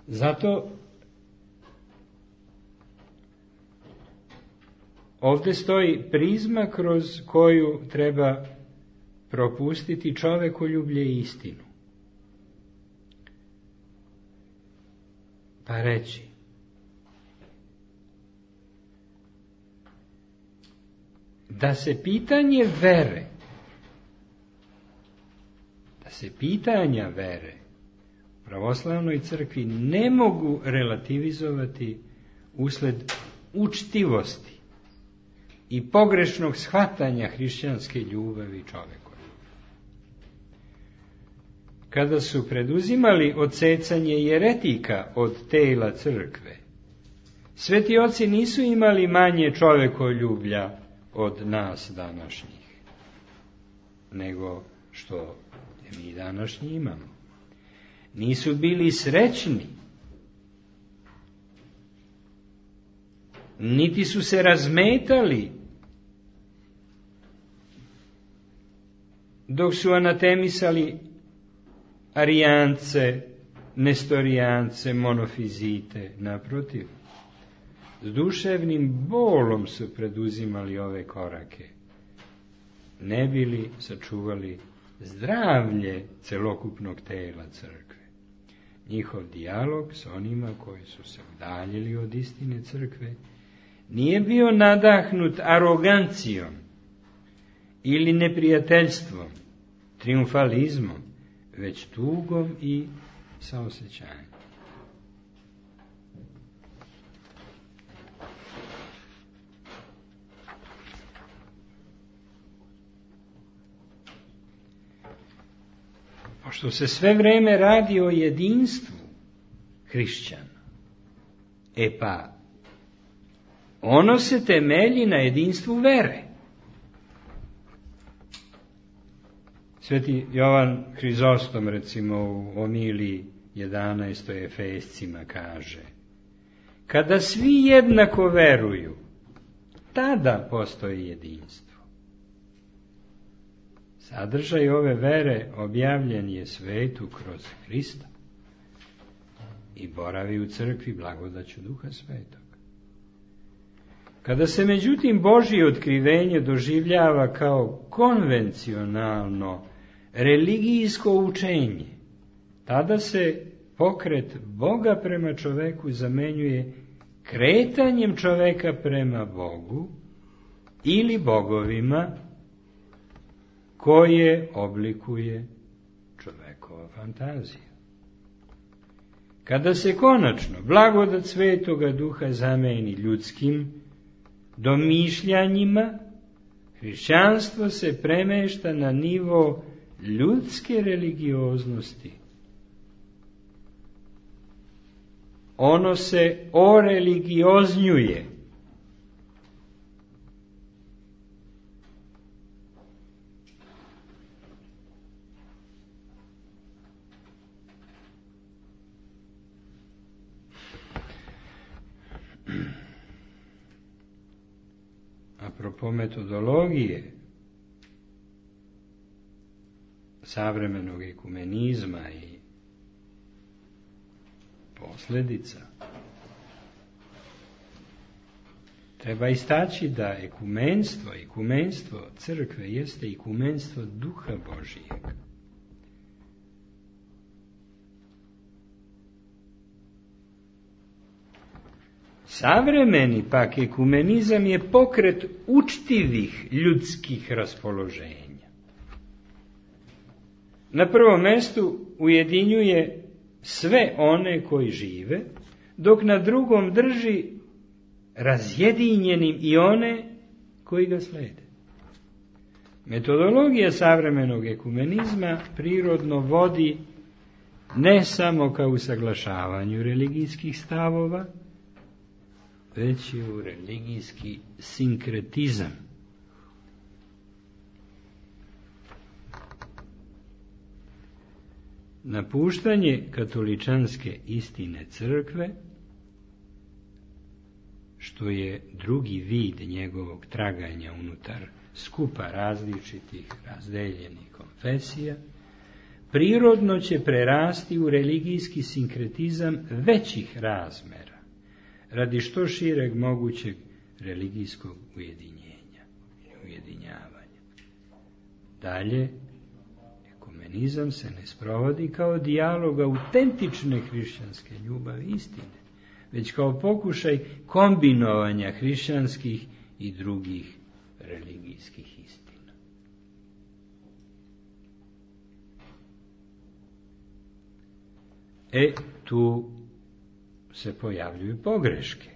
Zato ovdje stoji prizma kroz koju treba propustiti čovekoljublje i istinu. Pa reći: da se pitanja vere u pravoslavnoj crkvi ne mogu relativizovati usled učtivosti i pogrešnog shvatanja hrišćanske ljubavi čoveku. Kada su preduzimali odsecanje jeretika od tela crkve, sveti oci nisu imali manje čovekoljublja od nas današnjih, nego što mi današnji imamo. Nisu bili srećni, niti su se razmetali dok su anatemisali arijance, nestorijance, monofizite. Naprotiv, s duševnim bolom su preduzimali ove korake, ne bili sačuvali zdravlje celokupnog tela crkve. Njihov dijalog s onima koji su se udaljili od istine crkve nije bio nadahnut arogancijom ili neprijateljstvom, triumfalizmom, već tugom i saosećanjem. Pošto se sve vreme radi o jedinstvu hrišćana, pa ono se temelji na jedinstvu vere. Sveti Jovan Hrizostom, recimo, u omiliji 11. Efescima kaže: kada svi jednako veruju, tada postoji jedinstvo. Sadržaj ove vere objavljen je svetu kroz Hrista. i boravi u crkvi blagodaću Duha Svetog. Kada se međutim Božje otkrivenje doživljava kao konvencionalno religijsko učenje, tada se pokret Boga prema čoveku zamenjuje kretanjem čoveka prema Bogu ili bogovima koje oblikuje čovekova fantazija. Kada se konačno blagodat Svetoga Duha zameni ljudskim domišljanjima, hrišćanstvo se premešta na nivo ljudske religioznosti. Ono se oreligioznjuje. Apropo metodologije savremenog ekumenizma i posljedica, treba istaći da ekumenstvo crkve jeste ekumenstvo Duha Božijeg. Savremeni pak ekumenizam je pokret učtivih ljudskih raspoloženja. Na prvom mjestu ujedinjuje sve one koji žive, dok na drugom drži razjedinjenim i one koji ga slede. Metodologija savremenog ekumenizma prirodno vodi ne samo ka usaglašavanju religijskih stavova, već i u religijski sinkretizam. Napuštanje katoličanske istine crkve, što je drugi vid njegovog traganja unutar skupa različitih razdeljenih konfesija, prirodno će prerasti u religijski sinkretizam većih razmera, radi što šireg mogućeg religijskog ujedinjavanja. Dalje, ekumenizam se ne sprovodi kao dijalog autentične hrišćanske ljubavi i istine, već kao pokušaj kombinovanja hrišćanskih i drugih religijskih istina. Tu se pojavljuju pogreške.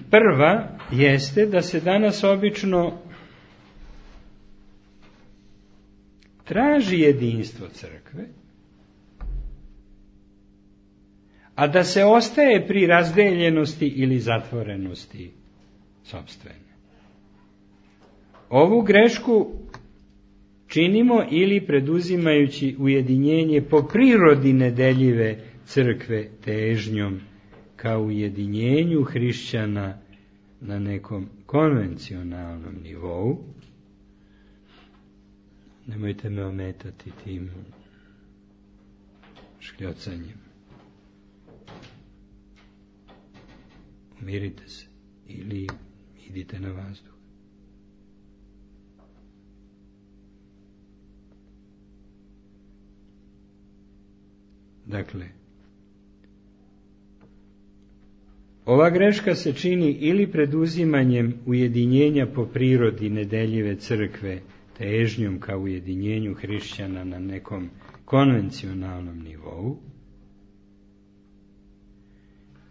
Prva jeste da se danas obično traži jedinstvo crkve, a da se ostaje pri razdeljenosti ili zatvorenosti sopstvene. Ovu grešku činimo ili preduzimajući ujedinjenje po prirodi nedeljive crkve težnjom ka ujedinjenju hrišćana na nekom konvencionalnom nivou. Nemojte me ometati tim škljocanjem. Umirite se ili idite na vazduh. Dakle, ova greška se čini ili preduzimanjem ujedinjenja po prirodi nedeljive crkve težnjom ka ujedinjenju hrišćana na nekom konvencionalnom nivou,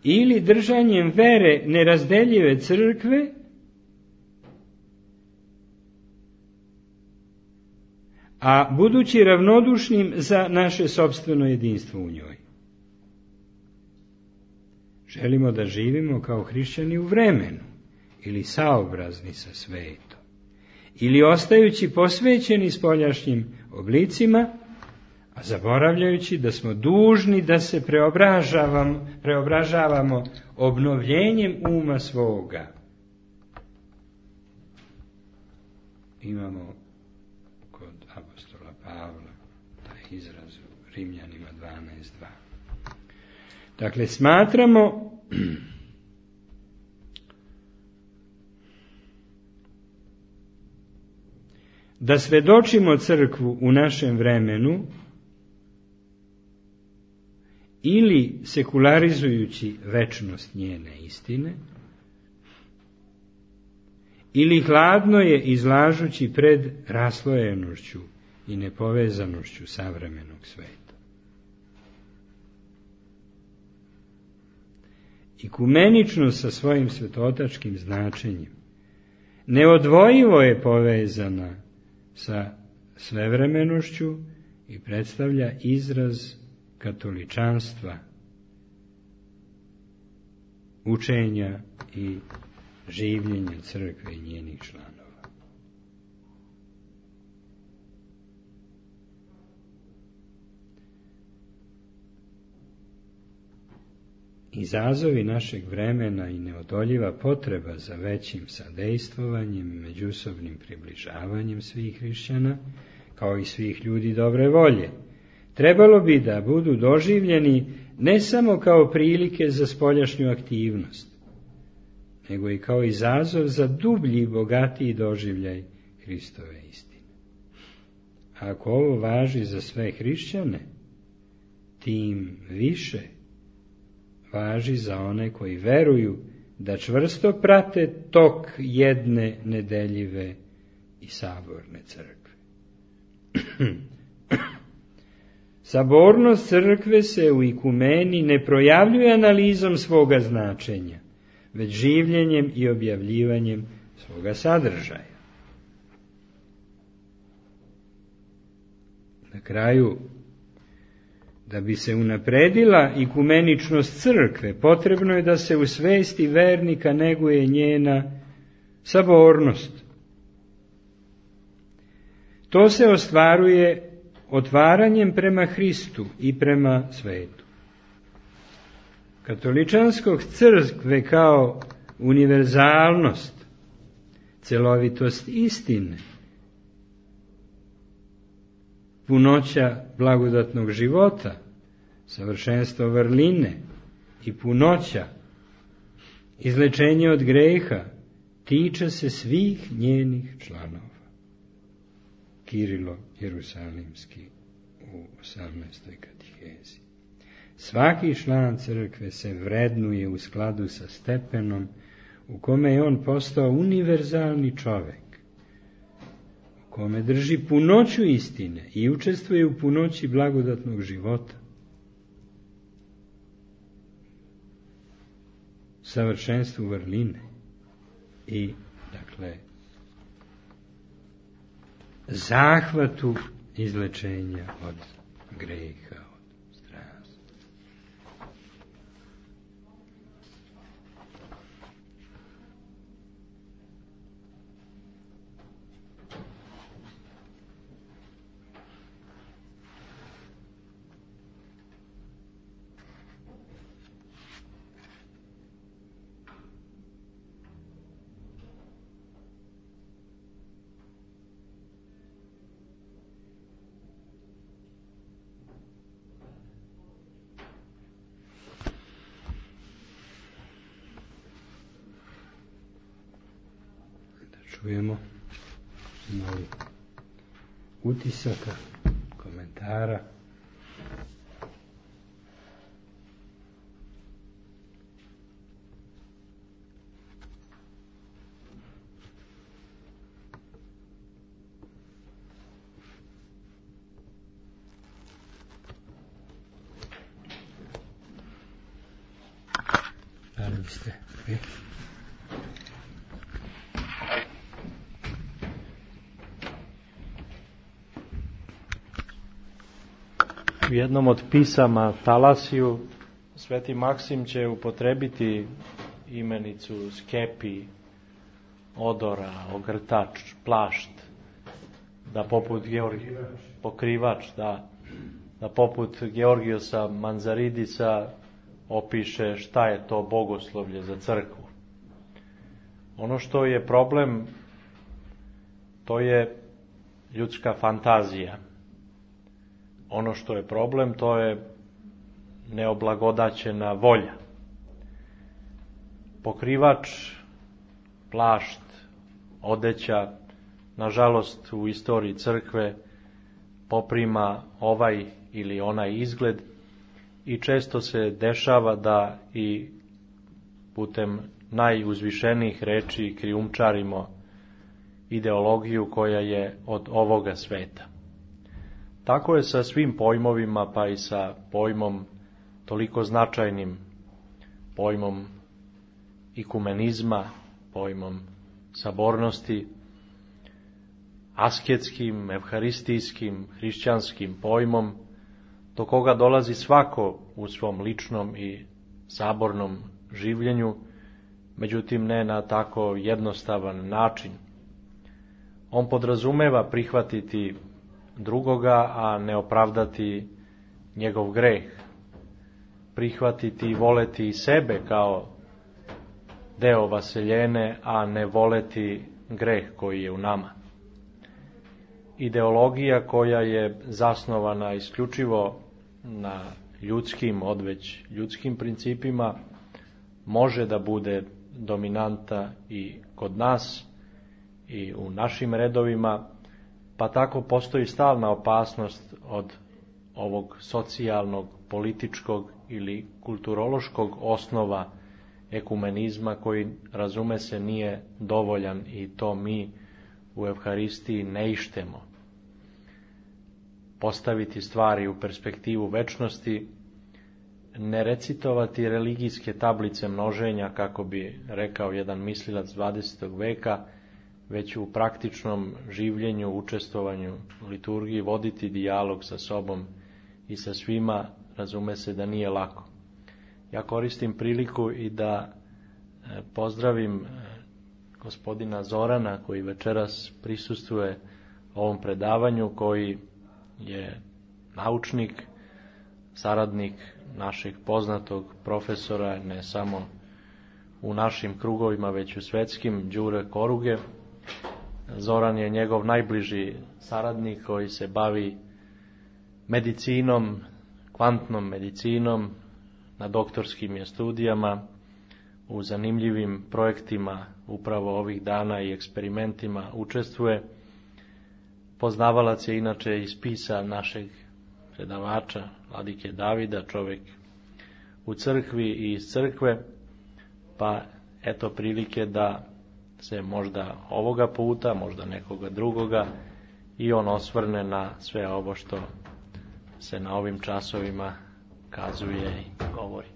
ili držanjem vere nerazdeljive crkve, a budući ravnodušnim za naše sopstveno jedinstvo u njoj. Želimo da živimo kao hrišćani u vremenu, ili saobrazni sa svetom, ili ostajući posvećeni spoljašnjim oblicima, a zaboravljajući da smo dužni da se preobražavamo obnovljenjem uma svoga. Imamo kod apostola Pavla taj izraz u Rimljanima 12.2. Dakle, smatramo da svedočimo crkvu u našem vremenu ili sekularizujući večnost njene istine, ili hladno je izlažući pred raslojenošću i nepovezanošću savremenog sveta. Ikumeničnost sa svojim svetotačkim značenjem neodvojivo je povezana sa svevremenošću i predstavlja izraz katoličanstva, učenja i življenja crkve i njenih članova. Izazovi našeg vremena i neodoljiva potreba za većim sadejstvovanjem i međusobnim približavanjem svih hrišćana, kao i svih ljudi dobre volje, trebalo bi da budu doživljeni ne samo kao prilike za spoljašnju aktivnost, nego i kao izazov za dublji i bogatiji doživljaj Hristove istine. A ako ovo važi za sve hrišćane, tim više važi za one koji veruju da čvrsto prate tok jedne nedeljive i saborne crkve. Sabornost crkve se u ikumeni ne projavljuje analizom svoga značenja, već življenjem i objavljivanjem svoga sadržaja. Na kraju, da bi se unapredila ikumeničnost crkve, potrebno je da se u svesti vernika neguje njena sabornost. To se ostvaruje otvaranjem prema Hristu i prema svetu. Katoličanskog crkve kao univerzalnost, celovitost istine, punoća blagodatnog života, savršenstvo vrline i punoća, izlečenje od greha, tiče se svih njenih članova. Kirilo Jerusalimski u 18. katihezi. Svaki član crkve se vrednuje u skladu sa stepenom u kome je on postao univerzalni čovek, u kome drži punoću istine i učestvuje u punoći blagodatnog života, savršenstvu vrline i, dakle, zahvatu izlečenja od greha, od strasti. Čujemo malo utisaka, komentara. Da li biste vi? U jednom od pisama Talasiju Sveti Maksim će upotrebiti imenicu skepi, odora, ogrtač, plašt, da poput pokrivač, da poput Georgijosa Manzaridisa opiše šta je to bogoslovlje za crkvu. Ono što je problem, to je ljudska fantazija, ono što je problem, to je neoblagodaćena volja. Pokrivač, plašt, odeća, nažalost u istoriji crkve poprima ovaj ili onaj izgled i često se dešava da i putem najuzvišenijih reči krijumčarimo ideologiju koja je od ovoga sveta. Tako je sa svim pojmovima, pa i sa pojmom toliko značajnim, pojmom ikumenizma, pojmom sabornosti, asketskim, evharistijskim, hrišćanskim pojmom, do koga dolazi svako u svom ličnom i sabornom življenju, međutim ne na tako jednostavan način. On podrazumeva prihvatiti drugoga, a ne opravdati njegov greh. Prihvatiti i voleti sebe kao deo vaseljene, a ne voleti greh koji je u nama. Ideologija koja je zasnovana isključivo na ljudskim, odveć ljudskim principima, može da bude dominanta i kod nas i u našim redovima, pa tako postoji stalna opasnost od ovog socijalnog, političkog ili kulturološkog osnova ekumenizma koji, razume se, nije dovoljan i to mi u Evharistiji ne ištemo. Postaviti stvari u perspektivu večnosti, ne recitovati religijske tablice množenja, kako bi rekao jedan mislilac 20. veka, već u praktičnom življenju, učestvovanju u liturgiji, voditi dijalog sa sobom i sa svima, razume se da nije lako. Ja koristim priliku i da pozdravim gospodina Zorana, koji večeras prisustvuje ovom predavanju, koji je naučnik, saradnik našeg poznatog profesora, ne samo u našim krugovima, već u svetskim, Đure Koruge. Zoran je njegov najbliži saradnik koji se bavi medicinom, kvantnom medicinom, na doktorskim je studijama, u zanimljivim projektima upravo ovih dana i eksperimentima učestvuje. Poznavalac je inače iz spisa našeg predavača, vladike Davida, čovjek u crkvi i iz crkve, pa eto prilike da se možda ovoga puta, možda nekoga drugoga, i on osvrne na sve ovo što se na ovim časovima kazuje i govori.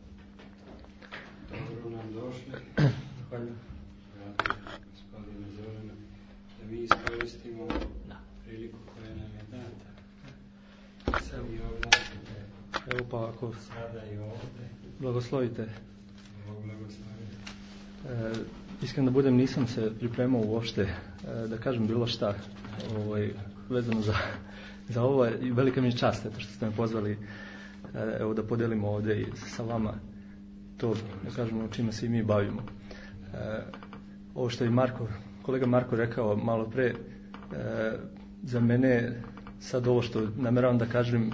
Dobro nam došli. Hvala. Gospodine Zorana, da mi iskoristimo priliku koja nam je data. Sad i ovdje. Evo pa ako Sada i ovdje. blagoslovite. Blagoslovite. Iskreno da budem, nisam se pripremao uopšte da kažem bilo šta vezano za ovo, i velika mi je čast što ste me pozvali evo da podelimo ovdje i sa vama to, da kažemo, čime se i mi bavimo. Ovo što je kolega Marko rekao malo pre, za mene sad ovo što nameravam da kažem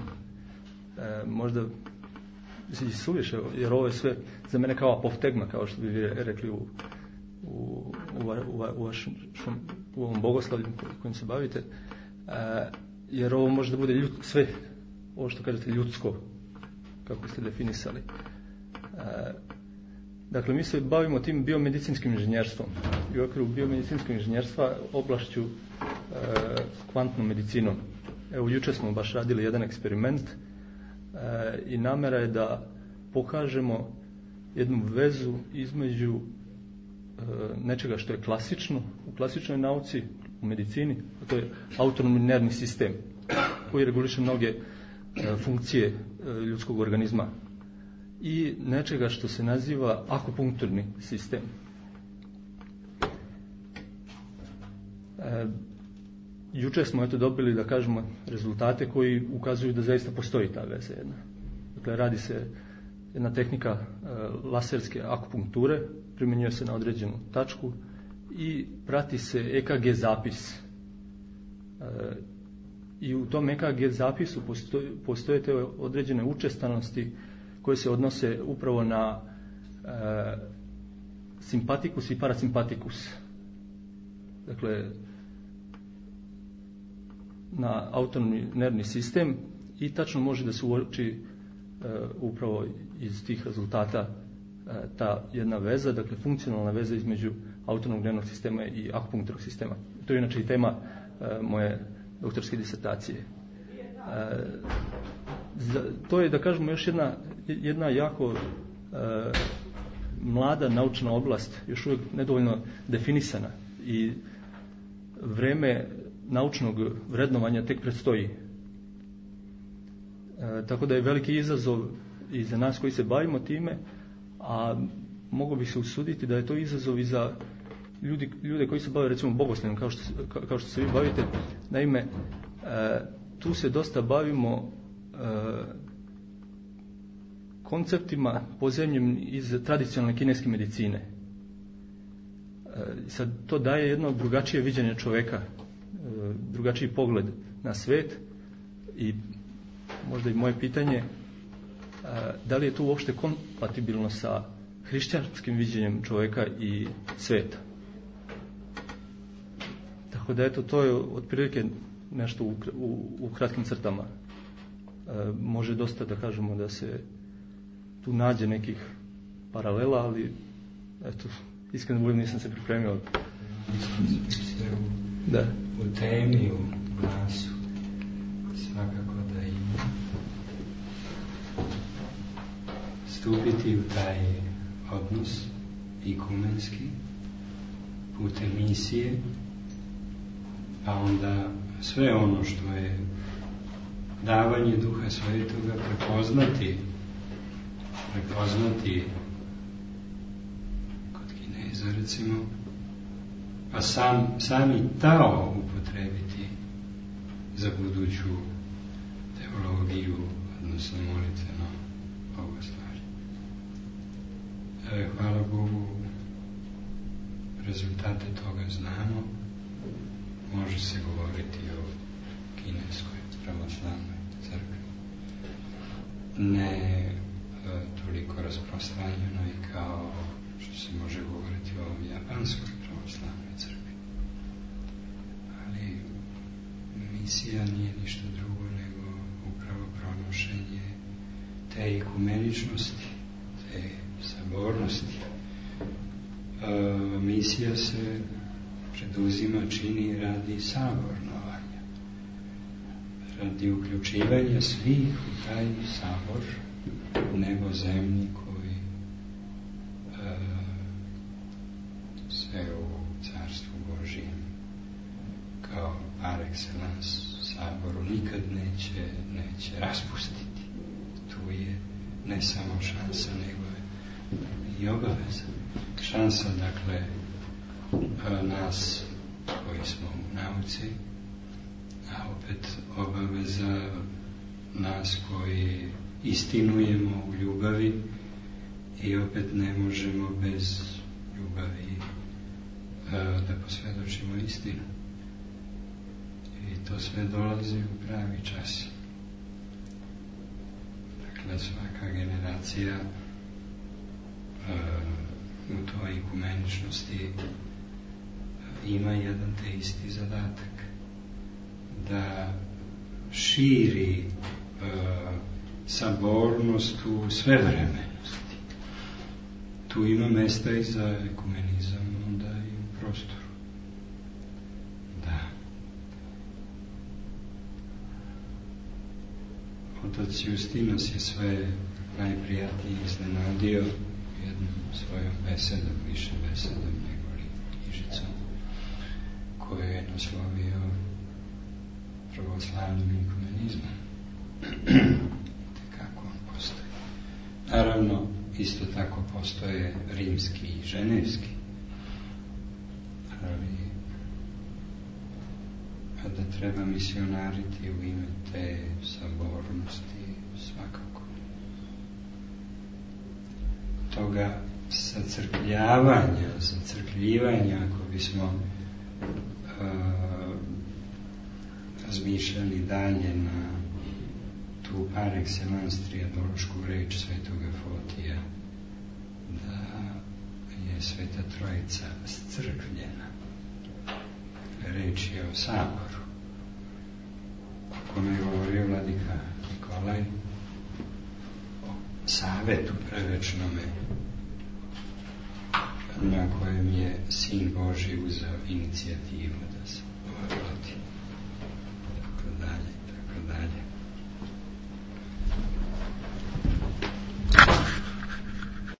možda suviše, jer ovo je sve za mene kao apoftegma, kao što bi vi rekli u ovom bogoslavlju kojim se bavite, jer ovo može da bude sve ovo što kažete ljudsko, kako ste definisali. Dakle, mi se bavimo tim biomedicinskim inženjerstvom i u okviru biomedicinskog inženjerstva oblašću kvantnom medicinom. Evo, jučer smo baš radili jedan eksperiment i namera je da pokažemo jednu vezu između nečega što je klasično, u klasičnoj nauci, u medicini, a to je autonomni nervni sistem koji reguliše mnoge funkcije ljudskog organizma, i nečega što se naziva akupunkturni sistem. Jučer smo dobili, da kažemo, rezultate koji ukazuju da zaista postoji ta veza jedna. Dakle, radi se jedna tehnika laserske akupunkture, primjenjuje se na određenu tačku i prati se EKG zapis i u tom EKG zapisu postoje te određene učestanosti koje se odnose upravo na simpatikus i parasimpatikus. Dakle, na autonomni nervni sistem i tačno može da se uoči upravo iz tih rezultata ta jedna veza, dakle funkcionalna veza između autonomnog nervnog sistema i akupunkturnog sistema. To je inače i tema moje doktorske disertacije. To je, da kažemo, još jedna jako mlada naučna oblast, još uvijek nedovoljno definisana i vreme naučnog vrednovanja tek predstoji. Tako da je veliki izazov i za nas koji se bavimo time, a mogu bi se usuditi da je to izazov i za ljude koji se bave recimo bogoslovljem kao što se vi bavite. Naime, tu se dosta bavimo konceptima pozemljem iz tradicionalne kineske medicine. Sad to daje jedno drugačije viđenje čoveka, drugačiji pogled na svet i možda i moje pitanje, da li je to uopšte kompatibilno sa hrišćanskim viđenjem čoveka i sveta. Tako da eto, to je otprilike nešto u kratkim crtama. Može dosta da kažemo da se tu nađe nekih paralela, ali eto, iskreno budem, nisam se pripremio. U temi, u glasu, svakako da ima. Stupiti u taj odnos ikumenski putem misije, pa onda sve ono što je davanje Duha Svetoga prepoznati kod Kineza recimo, pa sami Tao upotrebiti za buduću teologiju, odnosno molitveno bogoslovlje. Hvala Bogu, rezultate toga znamo. Može se govoriti o kineskoj pravoslavnoj crkvi. Ne toliko rasprostranjeno i kao što se može govoriti o japanskoj pravoslavnoj crkvi. Ali misija nije ništa drugo nego upravo pronošenje te ikumeničnosti, te sabornosti. Misija se preduzima, čini radi sabornovanja, radi uključivanja svih u taj sabor nebozemni koji se u Carstvu Božjem kao par excellence saboru nikad neće raspustiti. Tu je ne samo šansa, nego i obaveza. Šansa, dakle, nas koji smo u nauci, a opet obaveza nas koji istinujemo u ljubavi i opet ne možemo bez ljubavi da posvjedočimo istinu. I to sve dolazi u pravi čas. Dakle, svaka generacija u toj ikumeničnosti ima jedan te isti zadatak, da širi sabornost u svevremenosti. Tu ima mesta i za ekumenizam, onda i u prostoru. Da. Otac Justinos je sve najprijatnije iznenadio jednom svojom besedom, više besedom nego li knjižicom, koju je naslovio pravoslavnim ekumenizmom. Kako on postoji. Naravno, isto tako postoje rimski i ženevski, ali kada treba misionariti u ime te sabornosti, svakako toga zacrkljivanja, ako bismo razmišljali dalje na tu par excellence trijadološku reč svetoga Fotija, da je Sveta Trojica scrkvljena. Reč je o saboru, o kome je govorio vladika Nikolaj, o savetu prevečnome, na kojem je Sin Božji uzeo inicijativu da se vodi.